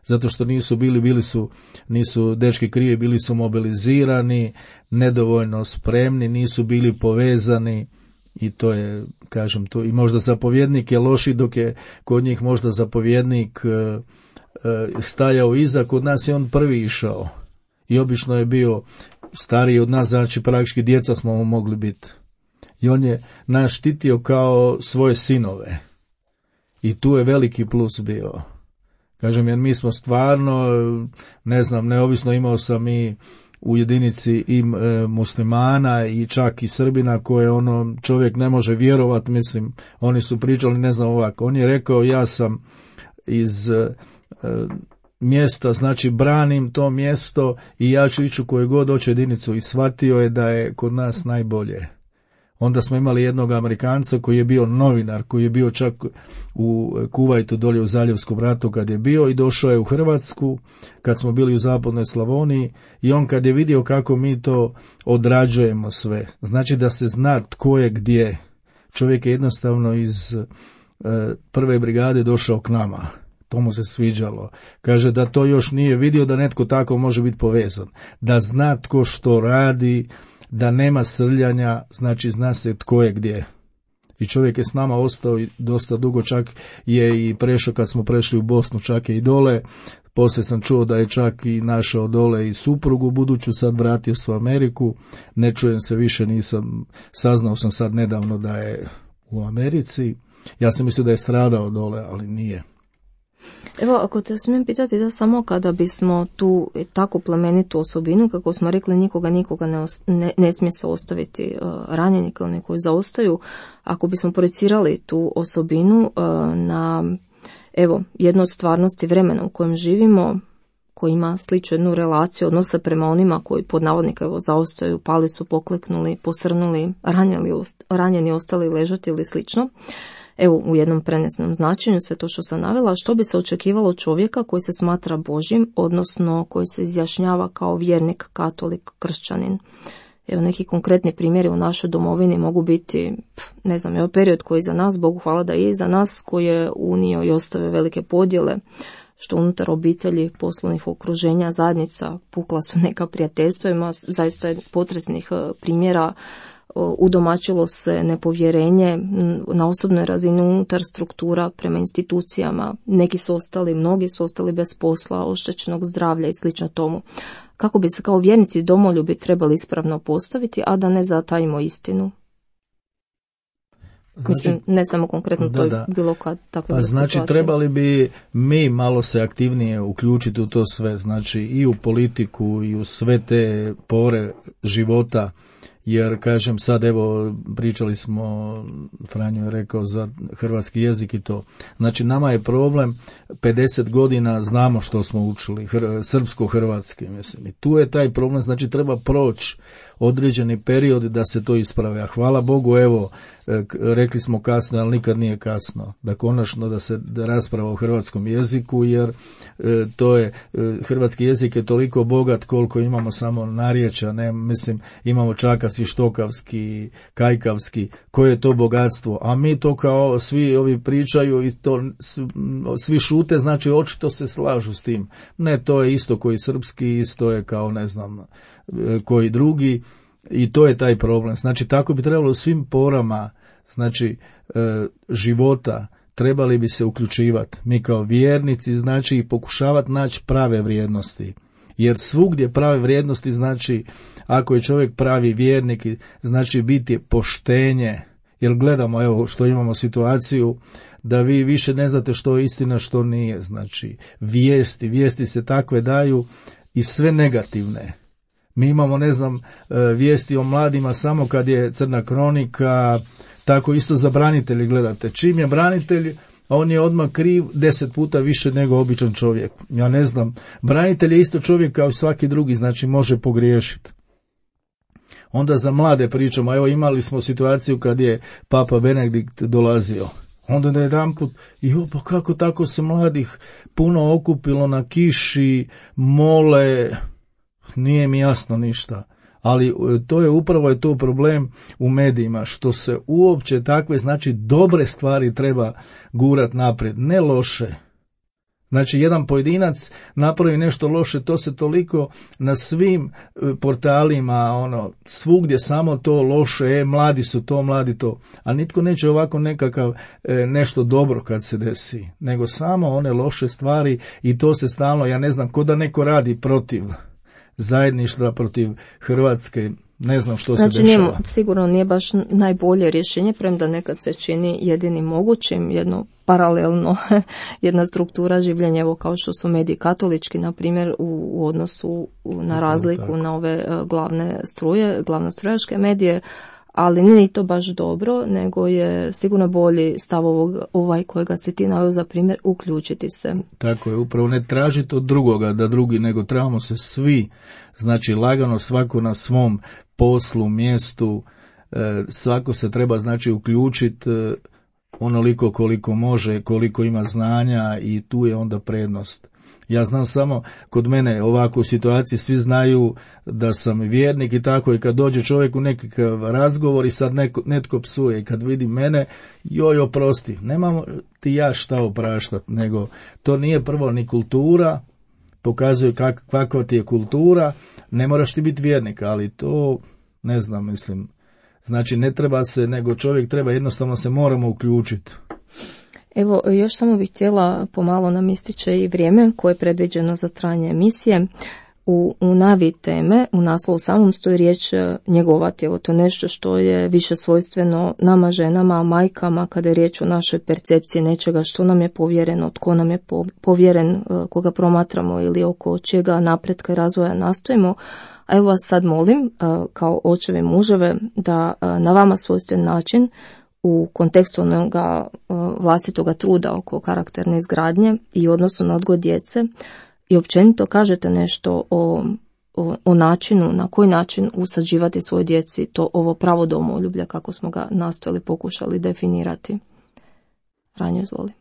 [SPEAKER 3] Zato što nisu bili, bili su, nisu dečki krivi, bili su mobilizirani, nedovoljno spremni, nisu bili povezani i to je, kažem, to i možda zapovjednik je loši, dok je kod njih možda zapovjednik e, e, stajao iza, kod nas je on prvi išao. I obično je bio stariji od nas, znači praktički djeca smo mu mogli biti. I on je nas štitio kao svoje sinove. I tu je veliki plus bio. Kažem, jer mi smo stvarno, ne znam, neovisno imao sam i u jedinici i e, muslimana i čak i Srbina koje ono čovjek ne može vjerovati, mislim, oni su pričali, ne znam ovako. On je rekao, ja sam iz e, mjesta, znači branim to mjesto i ja ću ići u koju god hoće jedinicu i shvatio je da je kod nas najbolje. Onda smo imali jednog Amerikanca koji je bio novinar, koji je bio čak u Kuvajtu dolje u Zaljevskom ratu kad je bio i došao je u Hrvatsku kad smo bili u zapadnoj Slavoniji i on kad je vidio kako mi to odrađujemo sve, znači da se zna tko je gdje. Čovjek je jednostavno iz e, prve brigade došao k nama. To mu se sviđalo. Kaže da to još nije vidio da netko tako može biti povezan. Da zna tko što radi, da nema srljanja, znači zna se tko je gdje. I čovjek je s nama ostao i dosta dugo, čak je i prešao kad smo prešli u Bosnu, čak je i dole. Poslije sam čuo da je čak i našao dole i suprugu buduću, sad vratio se u Ameriku. Ne čujem se više, nisam, saznao sam sad nedavno da je u Americi. Ja sam mislio da je stradao dole, ali nije.
[SPEAKER 1] Evo, ako te smijem pitati da samo kada bismo tu tako plemenitu osobinu, kako smo rekli, nikoga nikoga ne, os, ne, ne smije se ostaviti uh, ranjenika ili koji zaostaju, ako bismo projicirali tu osobinu uh, na evo jednu od stvarnosti vremena u kojem živimo, koji ima sličnu jednu relaciju odnose prema onima koji pod navodnika evo zaostaju, pali su, pokleknuli, posrnuli, ranjeni, ranjeni ostali ležati ili slično. Evo, u jednom prenesnom značenju sve to što sam navela, što bi se očekivalo čovjeka koji se smatra Božjim, odnosno koji se izjašnjava kao vjernik, katolik, kršćanin. Evo, neki konkretni primjeri u našoj domovini mogu biti, ne znam, evo period koji je za nas, Bogu hvala da je za nas, koji je unio i ostavio velike podjele, što unutar obitelji, poslovnih okruženja, zajednica, pukla su neka prijateljstva, ima zaista potresnih primjera, udomačilo se nepovjerenje na osobnoj razini unutar struktura prema institucijama, neki su ostali, mnogi su ostali bez posla, oštećenog zdravlja i slično tomu. Kako bi se kao vjernici domoljubi trebali ispravno postaviti, a da ne zatajimo istinu? Znači, mislim, ne samo konkretno da, to je bilo kad takve
[SPEAKER 3] pa znači situacije. Trebali bi mi malo se aktivnije uključiti u to sve, znači i u politiku i u sve te pore života, jer kažem sad evo pričali smo, Franjo je rekao za hrvatski jezik i to, znači nama je problem pedeset godina znamo što smo učili, hr, srpsko-hrvatski, mislim, i tu je taj problem, znači treba proći određeni period da se to isprave, a hvala Bogu evo, rekli smo kasno, ali nikad nije kasno, da konačno da se da rasprava o hrvatskom jeziku, jer e, to je, e, hrvatski jezik je toliko bogat koliko imamo samo narječja, ne, mislim, imamo čakavski, štokavski, kajkavski, koje je to bogatstvo, a mi to kao svi ovi pričaju i to svi šute, znači očito se slažu s tim. Ne, to je isto koji srpski, isto je kao ne znam koji drugi, i to je taj problem. Znači tako bi trebalo u svim porama, znači e, života trebali bi se uključivati. Mi kao vjernici, znači i pokušavati naći prave vrijednosti. Jer svugdje prave vrijednosti, znači ako je čovjek pravi vjernik, znači biti poštenje. Jer gledamo, evo što imamo situaciju da vi više ne znate što je istina, što nije. Znači vijesti, vijesti se takve daju i sve negativne. Mi imamo, ne znam, vijesti o mladima samo kad je crna kronika, tako isto za branitelji gledate. Čim je branitelj, on je odmah kriv deset puta više nego običan čovjek. Ja ne znam, branitelj je isto čovjek kao svaki drugi, znači može pogriješiti. Onda za mlade pričamo, evo imali smo situaciju kad je Papa Benedikt dolazio. Onda na jedanput, jo, pa kako tako se mladih puno okupilo na kiši, mole, nije mi jasno ništa. Ali to je upravo je to problem u medijima, što se uopće takve, znači dobre stvari treba gurat naprijed, ne loše. Znači jedan pojedinac napravi nešto loše, to se toliko na svim portalima, ono, svugdje samo to loše, e, mladi su to, mladi to. A nitko neće ovako nekakav e, nešto dobro kad se desi, nego samo one loše stvari i to se stalno, ja ne znam, ko da neko radi protiv zajedništva, protiv Hrvatske, ne znam što
[SPEAKER 1] znači,
[SPEAKER 3] se dešava.
[SPEAKER 1] Znači sigurno nije baš najbolje rješenje, premda nekad se čini jedinim mogućim, jedno paralelno, jedna struktura življenja, evo kao što su mediji katolički, na primjer, u, u odnosu na razliku tako. Na ove uh, glavne struje, glavnostrujaške medije, ali nije ni to baš dobro, nego je sigurno bolji stav ovog, ovaj kojega si ti naveo za primjer, uključiti se.
[SPEAKER 3] Tako je, upravo ne tražiti od drugoga da drugi, nego trebamo se svi, znači lagano svako na svom poslu, mjestu, e, svako se treba znači uključiti e, onoliko koliko može, koliko ima znanja i tu je onda prednost. Ja znam samo, kod mene ovako u situaciji svi znaju da sam vjernik i tako, i kad dođe čovjek u nekakav razgovor i sad neko, netko psuje i kad vidi mene, joj oprosti, nemamo ti ja šta opraštati, nego to nije prvo ni kultura, pokazuje kak, kakva ti je kultura, ne moraš ti biti vjernik, ali to ne znam, mislim, znači ne treba se, nego čovjek treba, jednostavno se moramo uključiti.
[SPEAKER 1] Evo, još samo bih htjela, pomalo nam ističe i vrijeme koje je predviđeno za trajanje emisije. U, u navi teme, u naslovu samom stoji riječ njegovati. Evo, to je nešto što je više svojstveno nama ženama, majkama, kada je riječ o našoj percepciji nečega što nam je povjereno, tko nam je povjeren, koga promatramo ili oko čega napretka i razvoja nastojimo. A evo vas sad molim, kao očeve i muževe, da na vama svojstven način u kontekstu onoga vlastitoga truda oko karakterne izgradnje i odnosu na odgoj djece i općenito kažete nešto o, o, o načinu, na koji način usađivati svoj djeci to ovo pravo domoljublja, kako smo ga nastojali, pokušali definirati. Franjo, izvoli.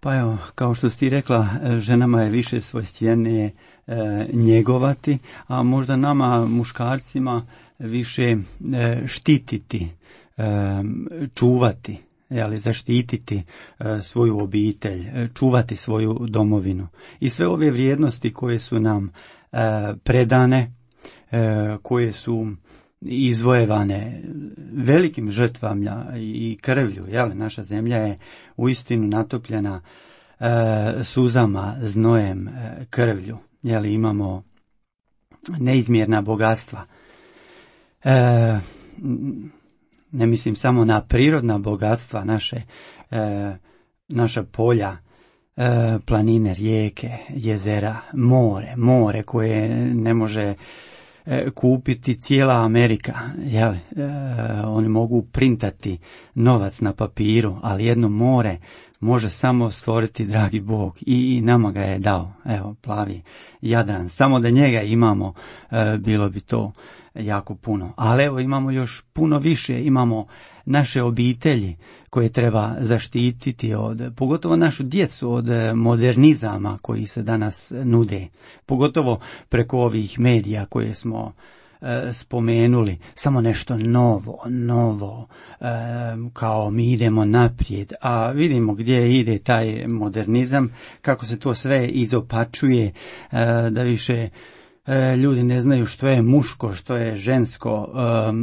[SPEAKER 2] Pa evo, kao što si ti rekla, ženama je više svojstvenije e, njegovati, a možda nama muškarcima više e, štititi, e, čuvati, jeli, zaštititi e, svoju obitelj, e, čuvati svoju domovinu. I sve ove vrijednosti koje su nam e, predane, e, koje su izvojevane velikim žrtvama i krvlju, jel? Naša zemlja je uistinu natopljena e, suzama, znojem, e, krvlju, jel? Imamo neizmjerna bogatstva. E, ne mislim samo na prirodna bogatstva, naše, e, naša polja, e, planine, rijeke, jezera, more, more koje ne može kupiti cijela Amerika, jel? E, oni mogu printati novac na papiru, ali jedno more može samo stvoriti dragi Bog i, i nama ga je dao, evo, plavi Jadran, samo da njega imamo, e, bilo bi to jako puno, ali evo imamo još puno više, imamo naše obitelji koje treba zaštititi od, pogotovo našu djecu, od modernizama koji se danas nude, pogotovo preko ovih medija koje smo e, spomenuli, samo nešto novo, novo, e, kao mi idemo naprijed, a vidimo gdje ide taj modernizam, kako se to sve izopačuje, e, da više ljudi ne znaju što je muško, što je žensko,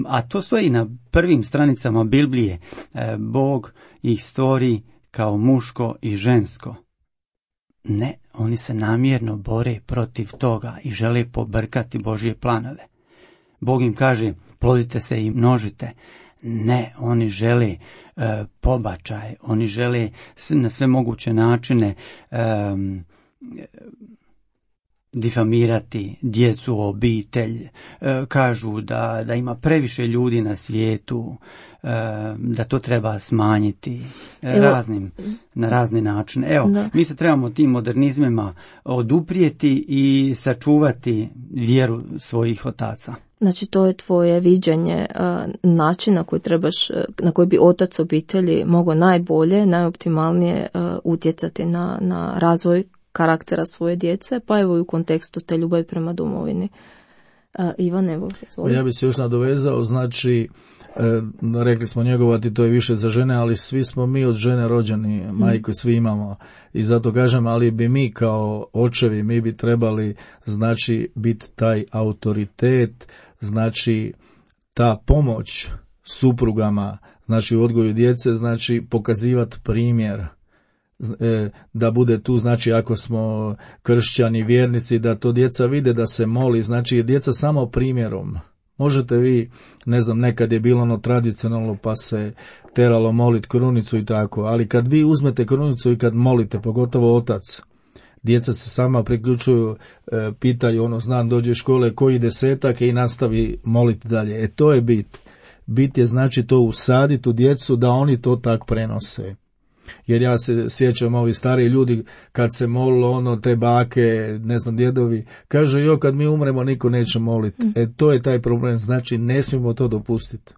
[SPEAKER 2] a to stoji na prvim stranicama Biblije. Bog ih stvori kao muško i žensko. Ne, oni se namjerno bore protiv toga i žele pobrkati Božje planove. Bog im kaže, plodite se i množite. Ne, oni žele e, pobačaj, oni žele na sve moguće načine e, difamirati djecu, obitelj, e, kažu da, da ima previše ljudi na svijetu, e, da to treba smanjiti e, raznim, na razne načine. Evo, da. Mi se trebamo tim modernizmima oduprijeti i sačuvati vjeru svojih otaca.
[SPEAKER 1] Znači, to je tvoje viđenje uh, načina koji trebaš, na koji bi otac obitelji mogao najbolje, najoptimalnije uh, utjecati na, na razvoj karaktera svoje djece, pa evo i u kontekstu te ljubavi prema domovini. Uh, Ivan, evo, izvoli.
[SPEAKER 3] Ja bih se još nadovezao, znači, e, rekli smo njegovati, to je više za žene, ali svi smo mi od žene rođeni, mm. majku svi imamo. I zato kažem, ali bi mi kao očevi, mi bi trebali, znači, biti taj autoritet, znači, ta pomoć suprugama, znači, u odgoju djece, znači, pokazivati primjer. Da bude tu, znači ako smo kršćani, vjernici, da to djeca vide da se moli, znači djeca samo primjerom. Možete vi, ne znam, nekad je bilo ono tradicionalno pa se teralo molit krunicu i tako, ali kad vi uzmete krunicu i kad molite, pogotovo otac, djeca se sama priključuju, e, pitaju ono, znam, dođe škole koji desetak i nastavi moliti dalje. E to je bit. Bit je znači to usaditi u djecu da oni to tak prenose. Jer ja se sjećam, ovi stari ljudi kad se molilo ono, te bake, ne znam, djedovi, kaže, jo, kad mi umremo niko neće moliti. Mm. E to je taj problem, znači ne smijemo to dopustiti.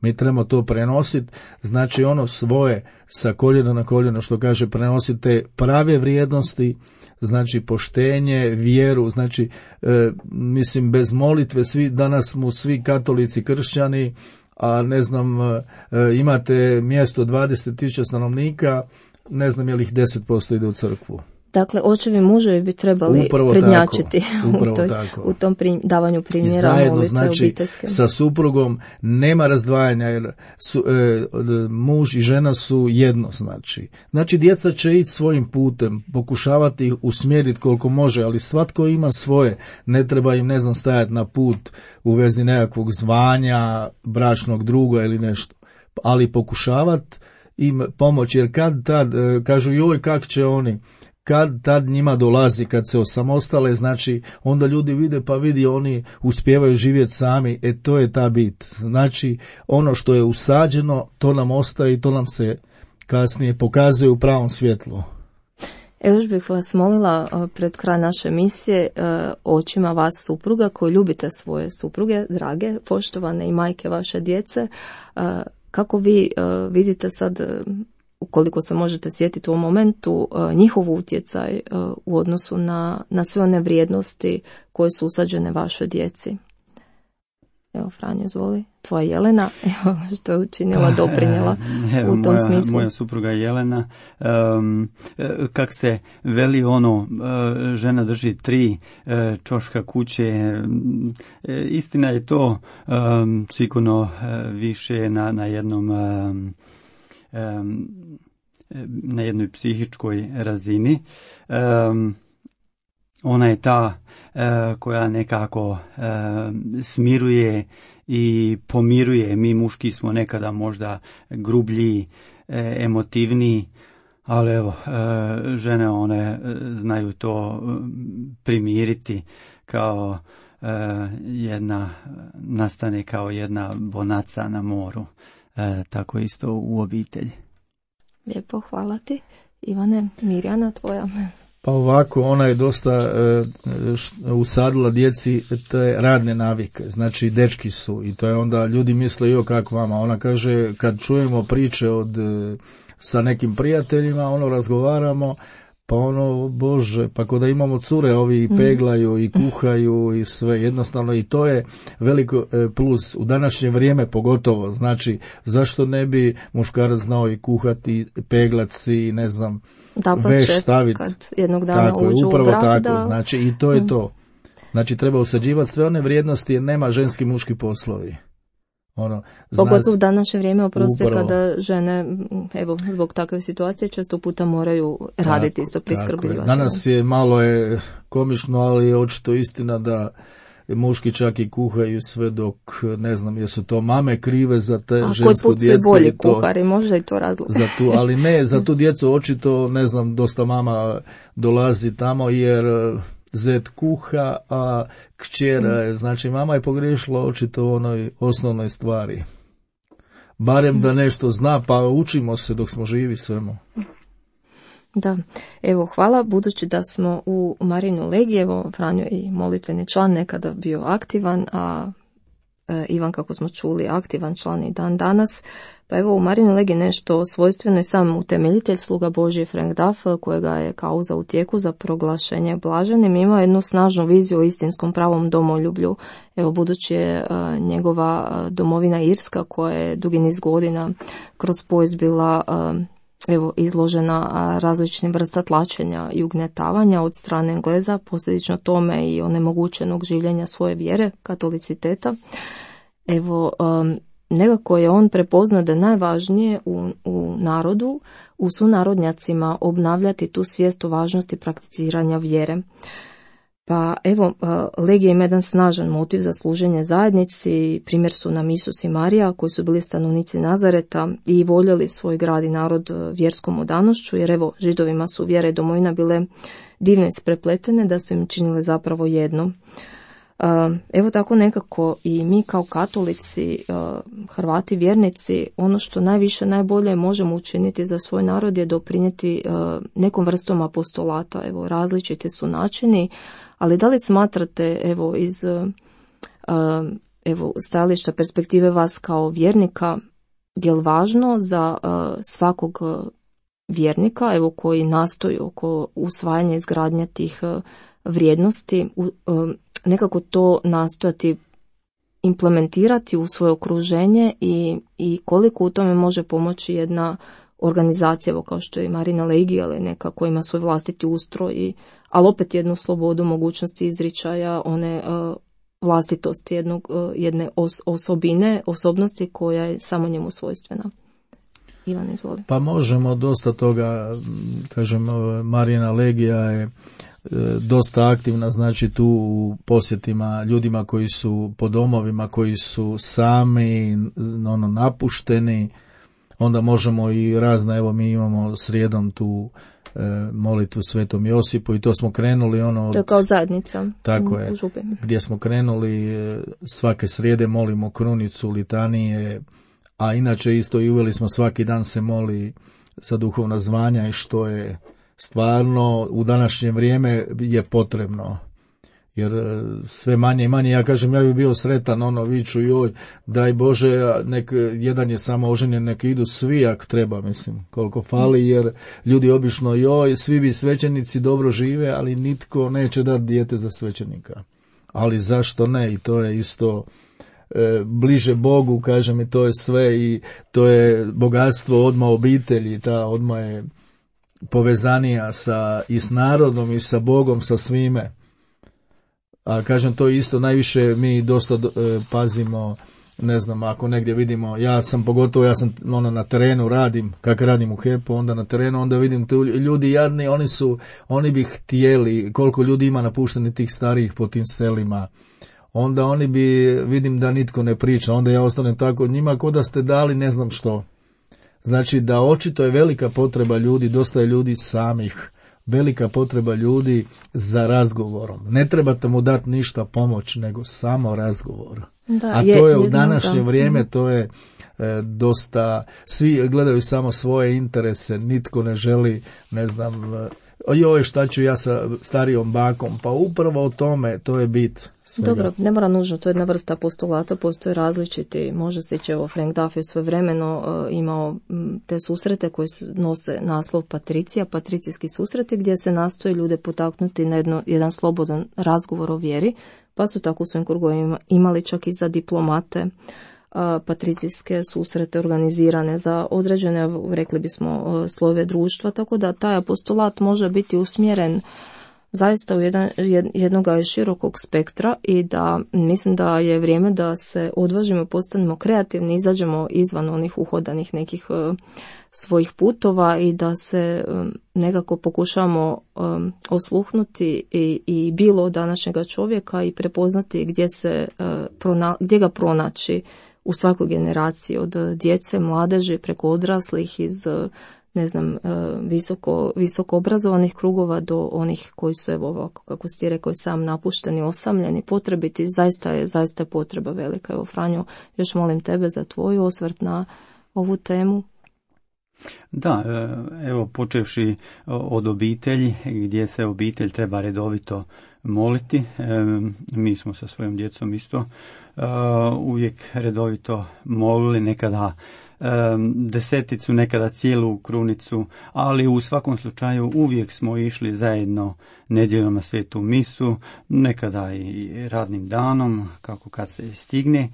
[SPEAKER 3] Mi trebamo to prenositi, znači ono svoje sa koljena na koljeno, što kaže, prenosite prave vrijednosti, znači poštenje, vjeru, znači e, mislim bez molitve, svi danas smo svi katolici, kršćani, a ne znam, imate mjesto dvadeset tisuća stanovnika, ne znam je li ih deset posto ide u crkvu.
[SPEAKER 1] Dakle, očevi i muževi bi trebali upravo prednjačiti tako, u, toj, u tom pri, davanju primjera
[SPEAKER 3] zajedno,
[SPEAKER 1] molitve
[SPEAKER 3] znači,
[SPEAKER 1] obiteljske.
[SPEAKER 3] Sa suprugom nema razdvajanja, jer su, e, muž i žena su jedno, znači. Znači, djeca će ići svojim putem, pokušavati ih usmjeriti koliko može, ali svatko ima svoje, ne treba im, ne znam, stajati na put u vezi nekakvog zvanja, bračnog druga ili nešto, ali pokušavati im pomoći, jer kad tad, e, kažu, joj, kak će oni, kad tad njima dolazi, kad se osamostale, znači onda ljudi vide, pa vidi, oni uspijevaju živjeti sami, e to je ta bit. Znači ono što je usađeno, to nam ostaje i to nam se kasnije pokazuje u pravom svjetlu.
[SPEAKER 1] Evo još bih vas molila pred kraj naše emisije očima vas supruga koji ljubite svoje supruge, drage, poštovane i majke vaše djece. Kako vi vidite sad, ukoliko se možete sjetiti u ovom momentu, njihov utjecaj u odnosu na, na sve one vrijednosti koje su usađene vašoj djeci? Evo, Franjo, izvoli. Tvoja Jelena, evo što je učinila, doprinjela
[SPEAKER 2] evo,
[SPEAKER 1] u tom
[SPEAKER 2] moja,
[SPEAKER 1] smislu.
[SPEAKER 2] Moja supruga Jelena, um, kak se veli ono, žena drži tri čoška kuće, istina je to um, sigurno više na, na jednom um, um, na jednoj psihičkoj razini. Um, ona je ta uh, koja nekako uh, smiruje i pomiruje. Mi muški smo nekada možda grublji, e, emotivniji, ali evo, e, žene one znaju to primiriti kao e, jedna, nastane kao jedna bonaca na moru, e, tako isto u obitelji.
[SPEAKER 1] Lijepo, hvala ti. Ivane, Mirjana, tvoja.
[SPEAKER 3] Pa ovako, ona je dosta e, usadila djeci te radne navike, znači dečki su, i to je onda ljudi misle jo kako vama, ona kaže kad čujemo priče od e, sa nekim prijateljima, ono razgovaramo, pa ono, bože, pa ko da imamo cure, ovi i peglaju i kuhaju i sve, jednostavno i to je veliko e, plus u današnje vrijeme pogotovo, znači zašto ne bi muškarac znao i kuhati, peglat si, ne znam,
[SPEAKER 1] da, pa
[SPEAKER 3] veš staviti.
[SPEAKER 1] Kad jednog dana
[SPEAKER 3] tako,
[SPEAKER 1] uđu
[SPEAKER 3] upravo
[SPEAKER 1] u brak,
[SPEAKER 3] tako,
[SPEAKER 1] da...
[SPEAKER 3] znači i to je to. Znači treba usađivati sve one vrijednosti jer nema ženski muški poslovi. Ono,
[SPEAKER 1] pogotovo u današnje vrijeme, oprosti,
[SPEAKER 3] upravo,
[SPEAKER 1] kada žene, evo, zbog takve situacije često puta moraju raditi tako, isto priskrbljivati.
[SPEAKER 3] Danas je malo je komično, ali je očito istina da muški čak i kuhaju sve dok, ne znam, jesu to mame krive za te
[SPEAKER 1] a
[SPEAKER 3] žensku djecu.
[SPEAKER 1] A bolji kuhari, možda i to razlog.
[SPEAKER 3] Za tu, ali ne, za tu djecu očito, ne znam, dosta mama dolazi tamo jer zet kuha, a kćera je, znači mama je pogriješila očito u onoj osnovnoj stvari. Barem da nešto zna, pa učimo se dok smo živi svemu.
[SPEAKER 1] Da, evo, hvala, budući da smo u Marinu Legiji, evo, Franjo i molitveni član nekada bio aktivan, a e, Ivan, kako smo čuli, aktivan član i dan danas, pa evo u Marinu Legiji nešto svojstveno je sam utemeljitelj, sluga Božji Frank Duff, kojega je kauza u tijeku za proglašenje blaženim, ima jednu snažnu viziju o istinskom pravom domoljublju, evo, budući je e, njegova domovina Irska, koja je dugi niz godina kroz povijest bila e, evo, izložena različitim vrsta tlačenja i ugnjetavanja od strane Engleza, posljedično tome i onemogućenog življenja svoje vjere, katoliciteta. Evo, um, nekako je on prepoznao da je najvažnije u, u narodu, u sunarodnjacima obnavljati tu svijest o važnosti prakticiranja vjere. Pa evo, Legija ima jedan snažan motiv za služenje zajednici, primjer su nam Isus i Marija koji su bili stanovnici Nazareta i voljeli svoj grad i narod vjerskom odanošću, jer evo, Židovima su vjera i domovina bile divno isprepletene da su im činile zapravo jedno. Evo tako nekako i mi kao katolici, Hrvati, vjernici, ono što najviše, najbolje možemo učiniti za svoj narod je doprinijeti nekom vrstom apostolata. Evo, različiti su načini, ali da li smatrate, evo, iz evo, stajališta perspektive vas kao vjernika, je li važno za svakog vjernika, evo, koji nastoji oko usvajanja izgradnje tih vrijednosti, nekako to nastojati implementirati u svoje okruženje i, i koliko u tome može pomoći jedna organizacija, evo kao što je Marina Legija, ali neka koja ima svoj vlastiti ustroj, i, ali opet jednu slobodu, mogućnosti izričaja, one uh, vlastitosti jednog, uh, jedne os, osobine, osobnosti koja je samo njemu svojstvena. Ivan, izvoli.
[SPEAKER 3] Pa možemo dosta toga, kažem, Marina Legija je dosta aktivna, znači tu u posjetima ljudima koji su po domovima, koji su sami, ono, napušteni, onda možemo i razne, evo mi imamo srijedom tu e, molitvu Svetom Josipu i to smo krenuli ono... Od,
[SPEAKER 1] to je kao zajednica.
[SPEAKER 3] Tako
[SPEAKER 1] u,
[SPEAKER 3] je,
[SPEAKER 1] u
[SPEAKER 3] gdje smo krenuli svake srijede molimo krunicu, litanije, a inače isto i uveli smo svaki dan se moli za duhovna zvanja i što je stvarno u današnje vrijeme je potrebno. Jer sve manje i manje, ja kažem, ja bih bio sretan, ono, viču, joj, daj Bože, nek, jedan je samo oženjen, nek idu svi, ako treba, mislim, koliko fali, jer ljudi obično, joj, svi bi svećenici dobro žive, ali nitko neće dati dijete za svećenika. Ali zašto ne? I to je isto e, bliže Bogu, kažem, i to je sve, i to je bogatstvo odma obitelji, ta odma je povezanija sa, i s narodom, i sa Bogom, sa svime. A kažem, to isto najviše mi dosta e, pazimo, ne znam, ako negdje vidimo, ja sam pogotovo, ja sam ono, na terenu radim, kako radim u H E P-u, onda na terenu, onda vidim tu ljudi jadni, oni su, oni bi htjeli, koliko ljudi ima napušteni tih starijih po tim selima, onda oni bi, vidim da nitko ne priča, onda ja ostanem tako njima, ko da ste dali ne znam što. Znači da očito je velika potreba ljudi, dosta je ljudi samih, velika potreba ljudi za razgovorom. Ne trebate mu dati ništa pomoć, nego samo razgovor. Da, a to je, je u današnje da. vrijeme, to je e, dosta, svi gledaju samo svoje interese, nitko ne želi, ne znam, e, joj, šta ću ja sa starijom bakom, pa upravo o tome, to je bit svega.
[SPEAKER 1] Dobro, ne mora nužno, to je jedna vrsta postulata, postoje različiti, može se ići, evo, Frank Duffy svojevremeno uh, imao m, te susrete koje nose naslov Patricija, patricijski susreti, gdje se nastoji ljude potaknuti na jedno, jedan slobodan razgovor o vjeri, pa su tako u svojim krugovima imali čak i za diplomate patricijske susrete organizirane za određene, rekli bismo, slojeve društva, tako da taj apostolat može biti usmjeren zaista u jedan, jednog širokog spektra i da mislim da je vrijeme da se odvažimo, postanemo kreativni, izađemo izvan onih uhodanih nekih uh, svojih putova i da se um, nekako pokušamo um, osluhnuti i, i bilo današnjega čovjeka i prepoznati gdje, se, uh, prona, gdje ga pronaći u svakoj generaciji, od djece, mladeži, preko odraslih, iz ne znam, visoko, visoko obrazovanih krugova do onih koji su, evo ovako, kako ste rekao, sam napušteni, osamljeni, potrebiti, zaista je, zaista je potreba velika. Evo, Franjo, još molim tebe za tvoj osvrt na ovu temu.
[SPEAKER 2] Da, evo, počevši od obitelji, gdje se obitelj treba redovito moliti, mi smo sa svojom djecom isto uvijek redovito molili, nekada deseticu, nekada cijelu krunicu, ali u svakom slučaju uvijek smo išli zajedno nedjeljom na svetu misu, nekada i radnim danom, kako kad se stigne.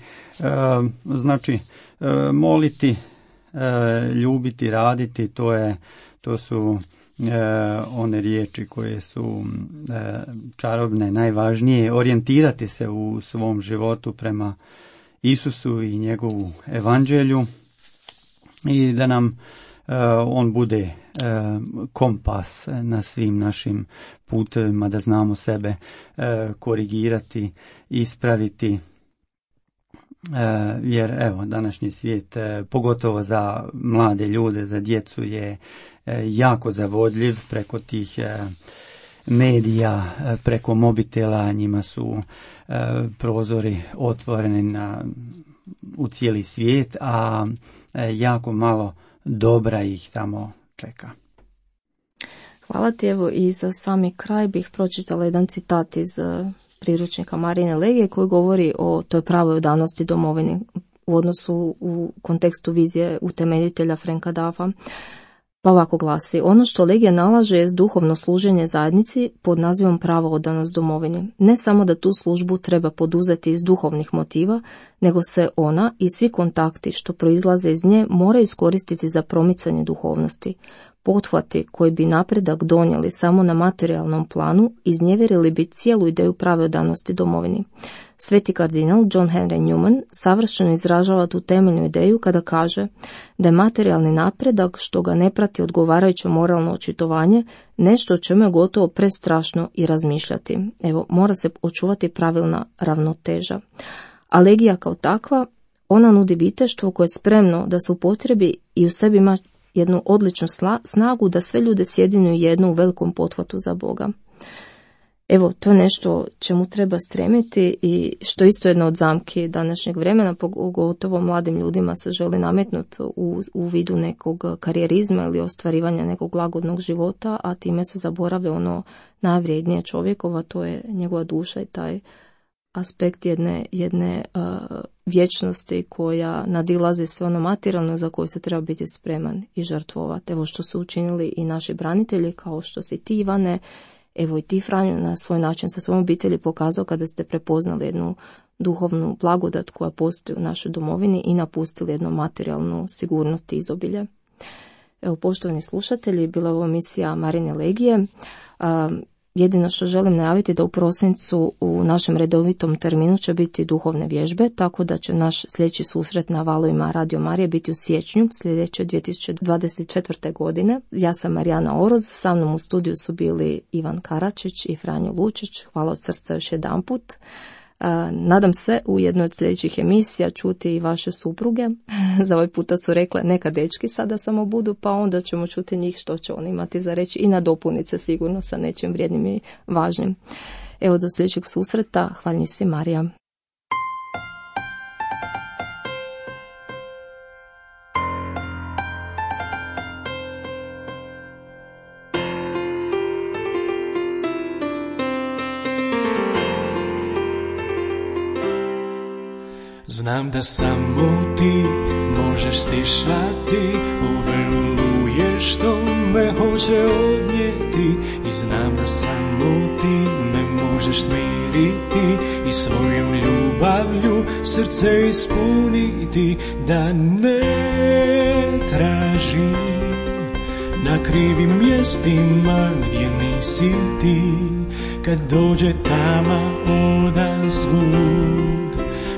[SPEAKER 2] Znači, moliti, ljubiti, raditi, to je, to su one riječi koje su čarobne, najvažnije, orijentirati se u svom životu prema Isusu i njegovu evanđelju i da nam on bude kompas na svim našim putevima, da znamo sebe korigirati, ispraviti, jer evo, današnji svijet, pogotovo za mlade ljude, za djecu, je jako zavodljiv preko tih medija, preko mobitela, njima su prozori otvoreni na, u cijeli svijet, a jako malo dobra ih tamo čeka.
[SPEAKER 1] Hvala ti, evo, i za sami kraj bih pročitala jedan citat iz priručnika Marijine legije koji govori o toj pravoj odanosti domovini u odnosu u kontekstu vizije utemeljitelja Franka Duffa. Pa ovako glasi: ono što legija nalaže je duhovno služenje zajednici pod nazivom prava odanost domovini. Ne samo da tu službu treba poduzeti iz duhovnih motiva, nego se ona i svi kontakti što proizlaze iz nje moraju iskoristiti za promicanje duhovnosti. Pothvati koji bi napredak donijeli samo na materijalnom planu iznevjerili bi cijelu ideju prave odanosti domovini. Sveti kardinal John Henry Newman savršeno izražava tu temeljnu ideju kada kaže da je materijalni napredak što ga ne prati odgovarajuće moralno očitovanje nešto o čemu je gotovo prestrašno i razmišljati. Evo, mora se očuvati pravilna ravnoteža. A legija kao takva, ona nudi viteštvo koje je spremno da se upotrebi i u sebi ima jednu odličnu snagu da sve ljude sjedinu jednu u velikom pothvatu za Boga. Evo, to je nešto čemu treba stremiti i što isto jedno od zamki današnjeg vremena, pogotovo mladim ljudima se želi nametnuti u, u vidu nekog karijerizma ili ostvarivanja nekog lagodnog života, a time se zaboravlja ono najvrijednije čovjekova, to je njegova duša i taj aspekt jedne, jedne uh, vječnosti koja nadilazi sve ono materijalno za koju se treba biti spreman i žrtvovati. Evo što su učinili i naši branitelji, kao što si ti, Ivane, evo i ti, Franjo, na svoj način sa svojom obitelji pokazao kada ste prepoznali jednu duhovnu blagodat koja postoji u našoj domovini i napustili jednu materijalnu sigurnost i izobilje. Evo, poštovani slušatelji, bila je ovo emisija Marine Legije. Um, Jedino što želim najaviti da u prosincu u našem redovitom terminu će biti duhovne vježbe, tako da će naš sljedeći susret na valovima Radio Marije biti u siječnju sljedeće dvije tisuće dvadeset četvrte. godine. Ja sam Marijana Oroz, sa mnom u studiju su bili Ivan Karačić i Franjo Lučić. Hvala od srca još jedanput. Nadam se u jednoj od sljedećih emisija čuti i vaše supruge. Za ovaj puta su rekle neka dečki sada samo budu, pa onda ćemo čuti njih što će oni imati za reći i nadopuniti se sigurno sa nečim vrijednim i važnim. Evo, do sljedećeg susreta. Hvala si, Marija.
[SPEAKER 4] Znam da samo ti možeš stišati ove oluje što me hoće odnijeti, i znam da samo ti me možeš smiriti i svojom ljubavlju srce ispuniti. Da ne tražim na krivim mjestima gdje nisi ti, kad dođe tama odan svud.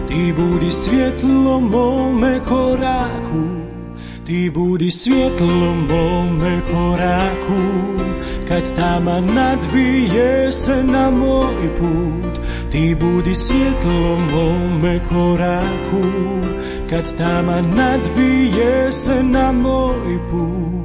[SPEAKER 4] Ti budi svjetlo mome koraku, ti budi svjetlo mome koraku, kad tama nadvije se na moj put. Ti budi svjetlo mome koraku, kad tama nadvije se na moj put.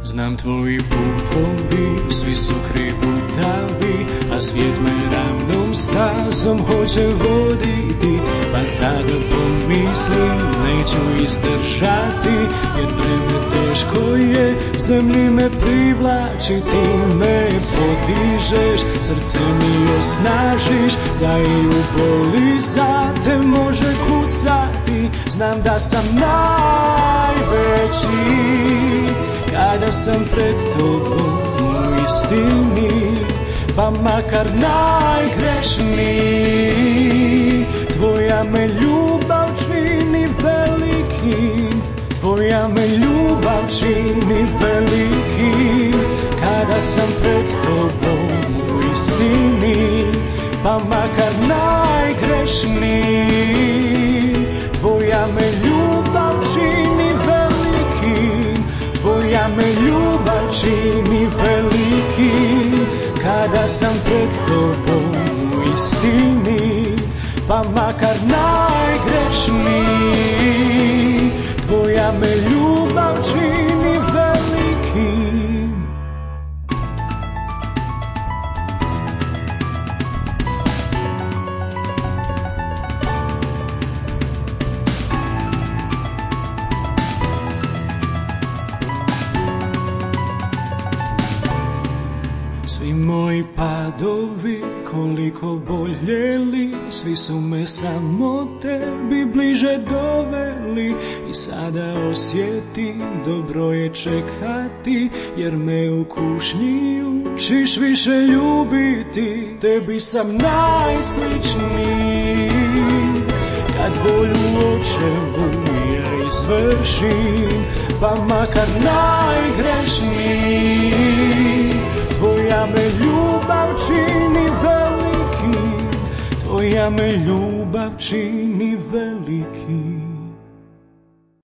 [SPEAKER 4] Znam tvoji putovi, svi su krivutavi, a svijet me ravnom stazom hoće voditi. Pa tada pomislim, neću izdržati, jer breme teško je, zemlji me privlači. Ti me podižeš, srce mi osnažiš, da i u boli za te može kucati. Znam da sam najveći kada sam pred tobom u istini, pa makar najgrešniji. Tvoja me ljubav čini velikim, tvoja me ljubav čini velikim. Kada sam pred tobom u istini, pa makar najgrešniji. Tvoja me ljubav čini velikim, tvoja me ljubav čini velikim. Kada sam pred tobom u istini, pa makar najgrešniji. Tvoja me ljubav čini velikim. Svi moji padovi koliko boljeli, svi su me samo tebi bliže doveli. I sada osjetim, dobro je čekati, jer me u kušnji učiš više ljubiti. Tebi sam najsličniji, kad volju očevu ja izvršim, pa makar najgrešniji. Tvoja me ljubav čini velikim, tvoja me ljubav čini velikim.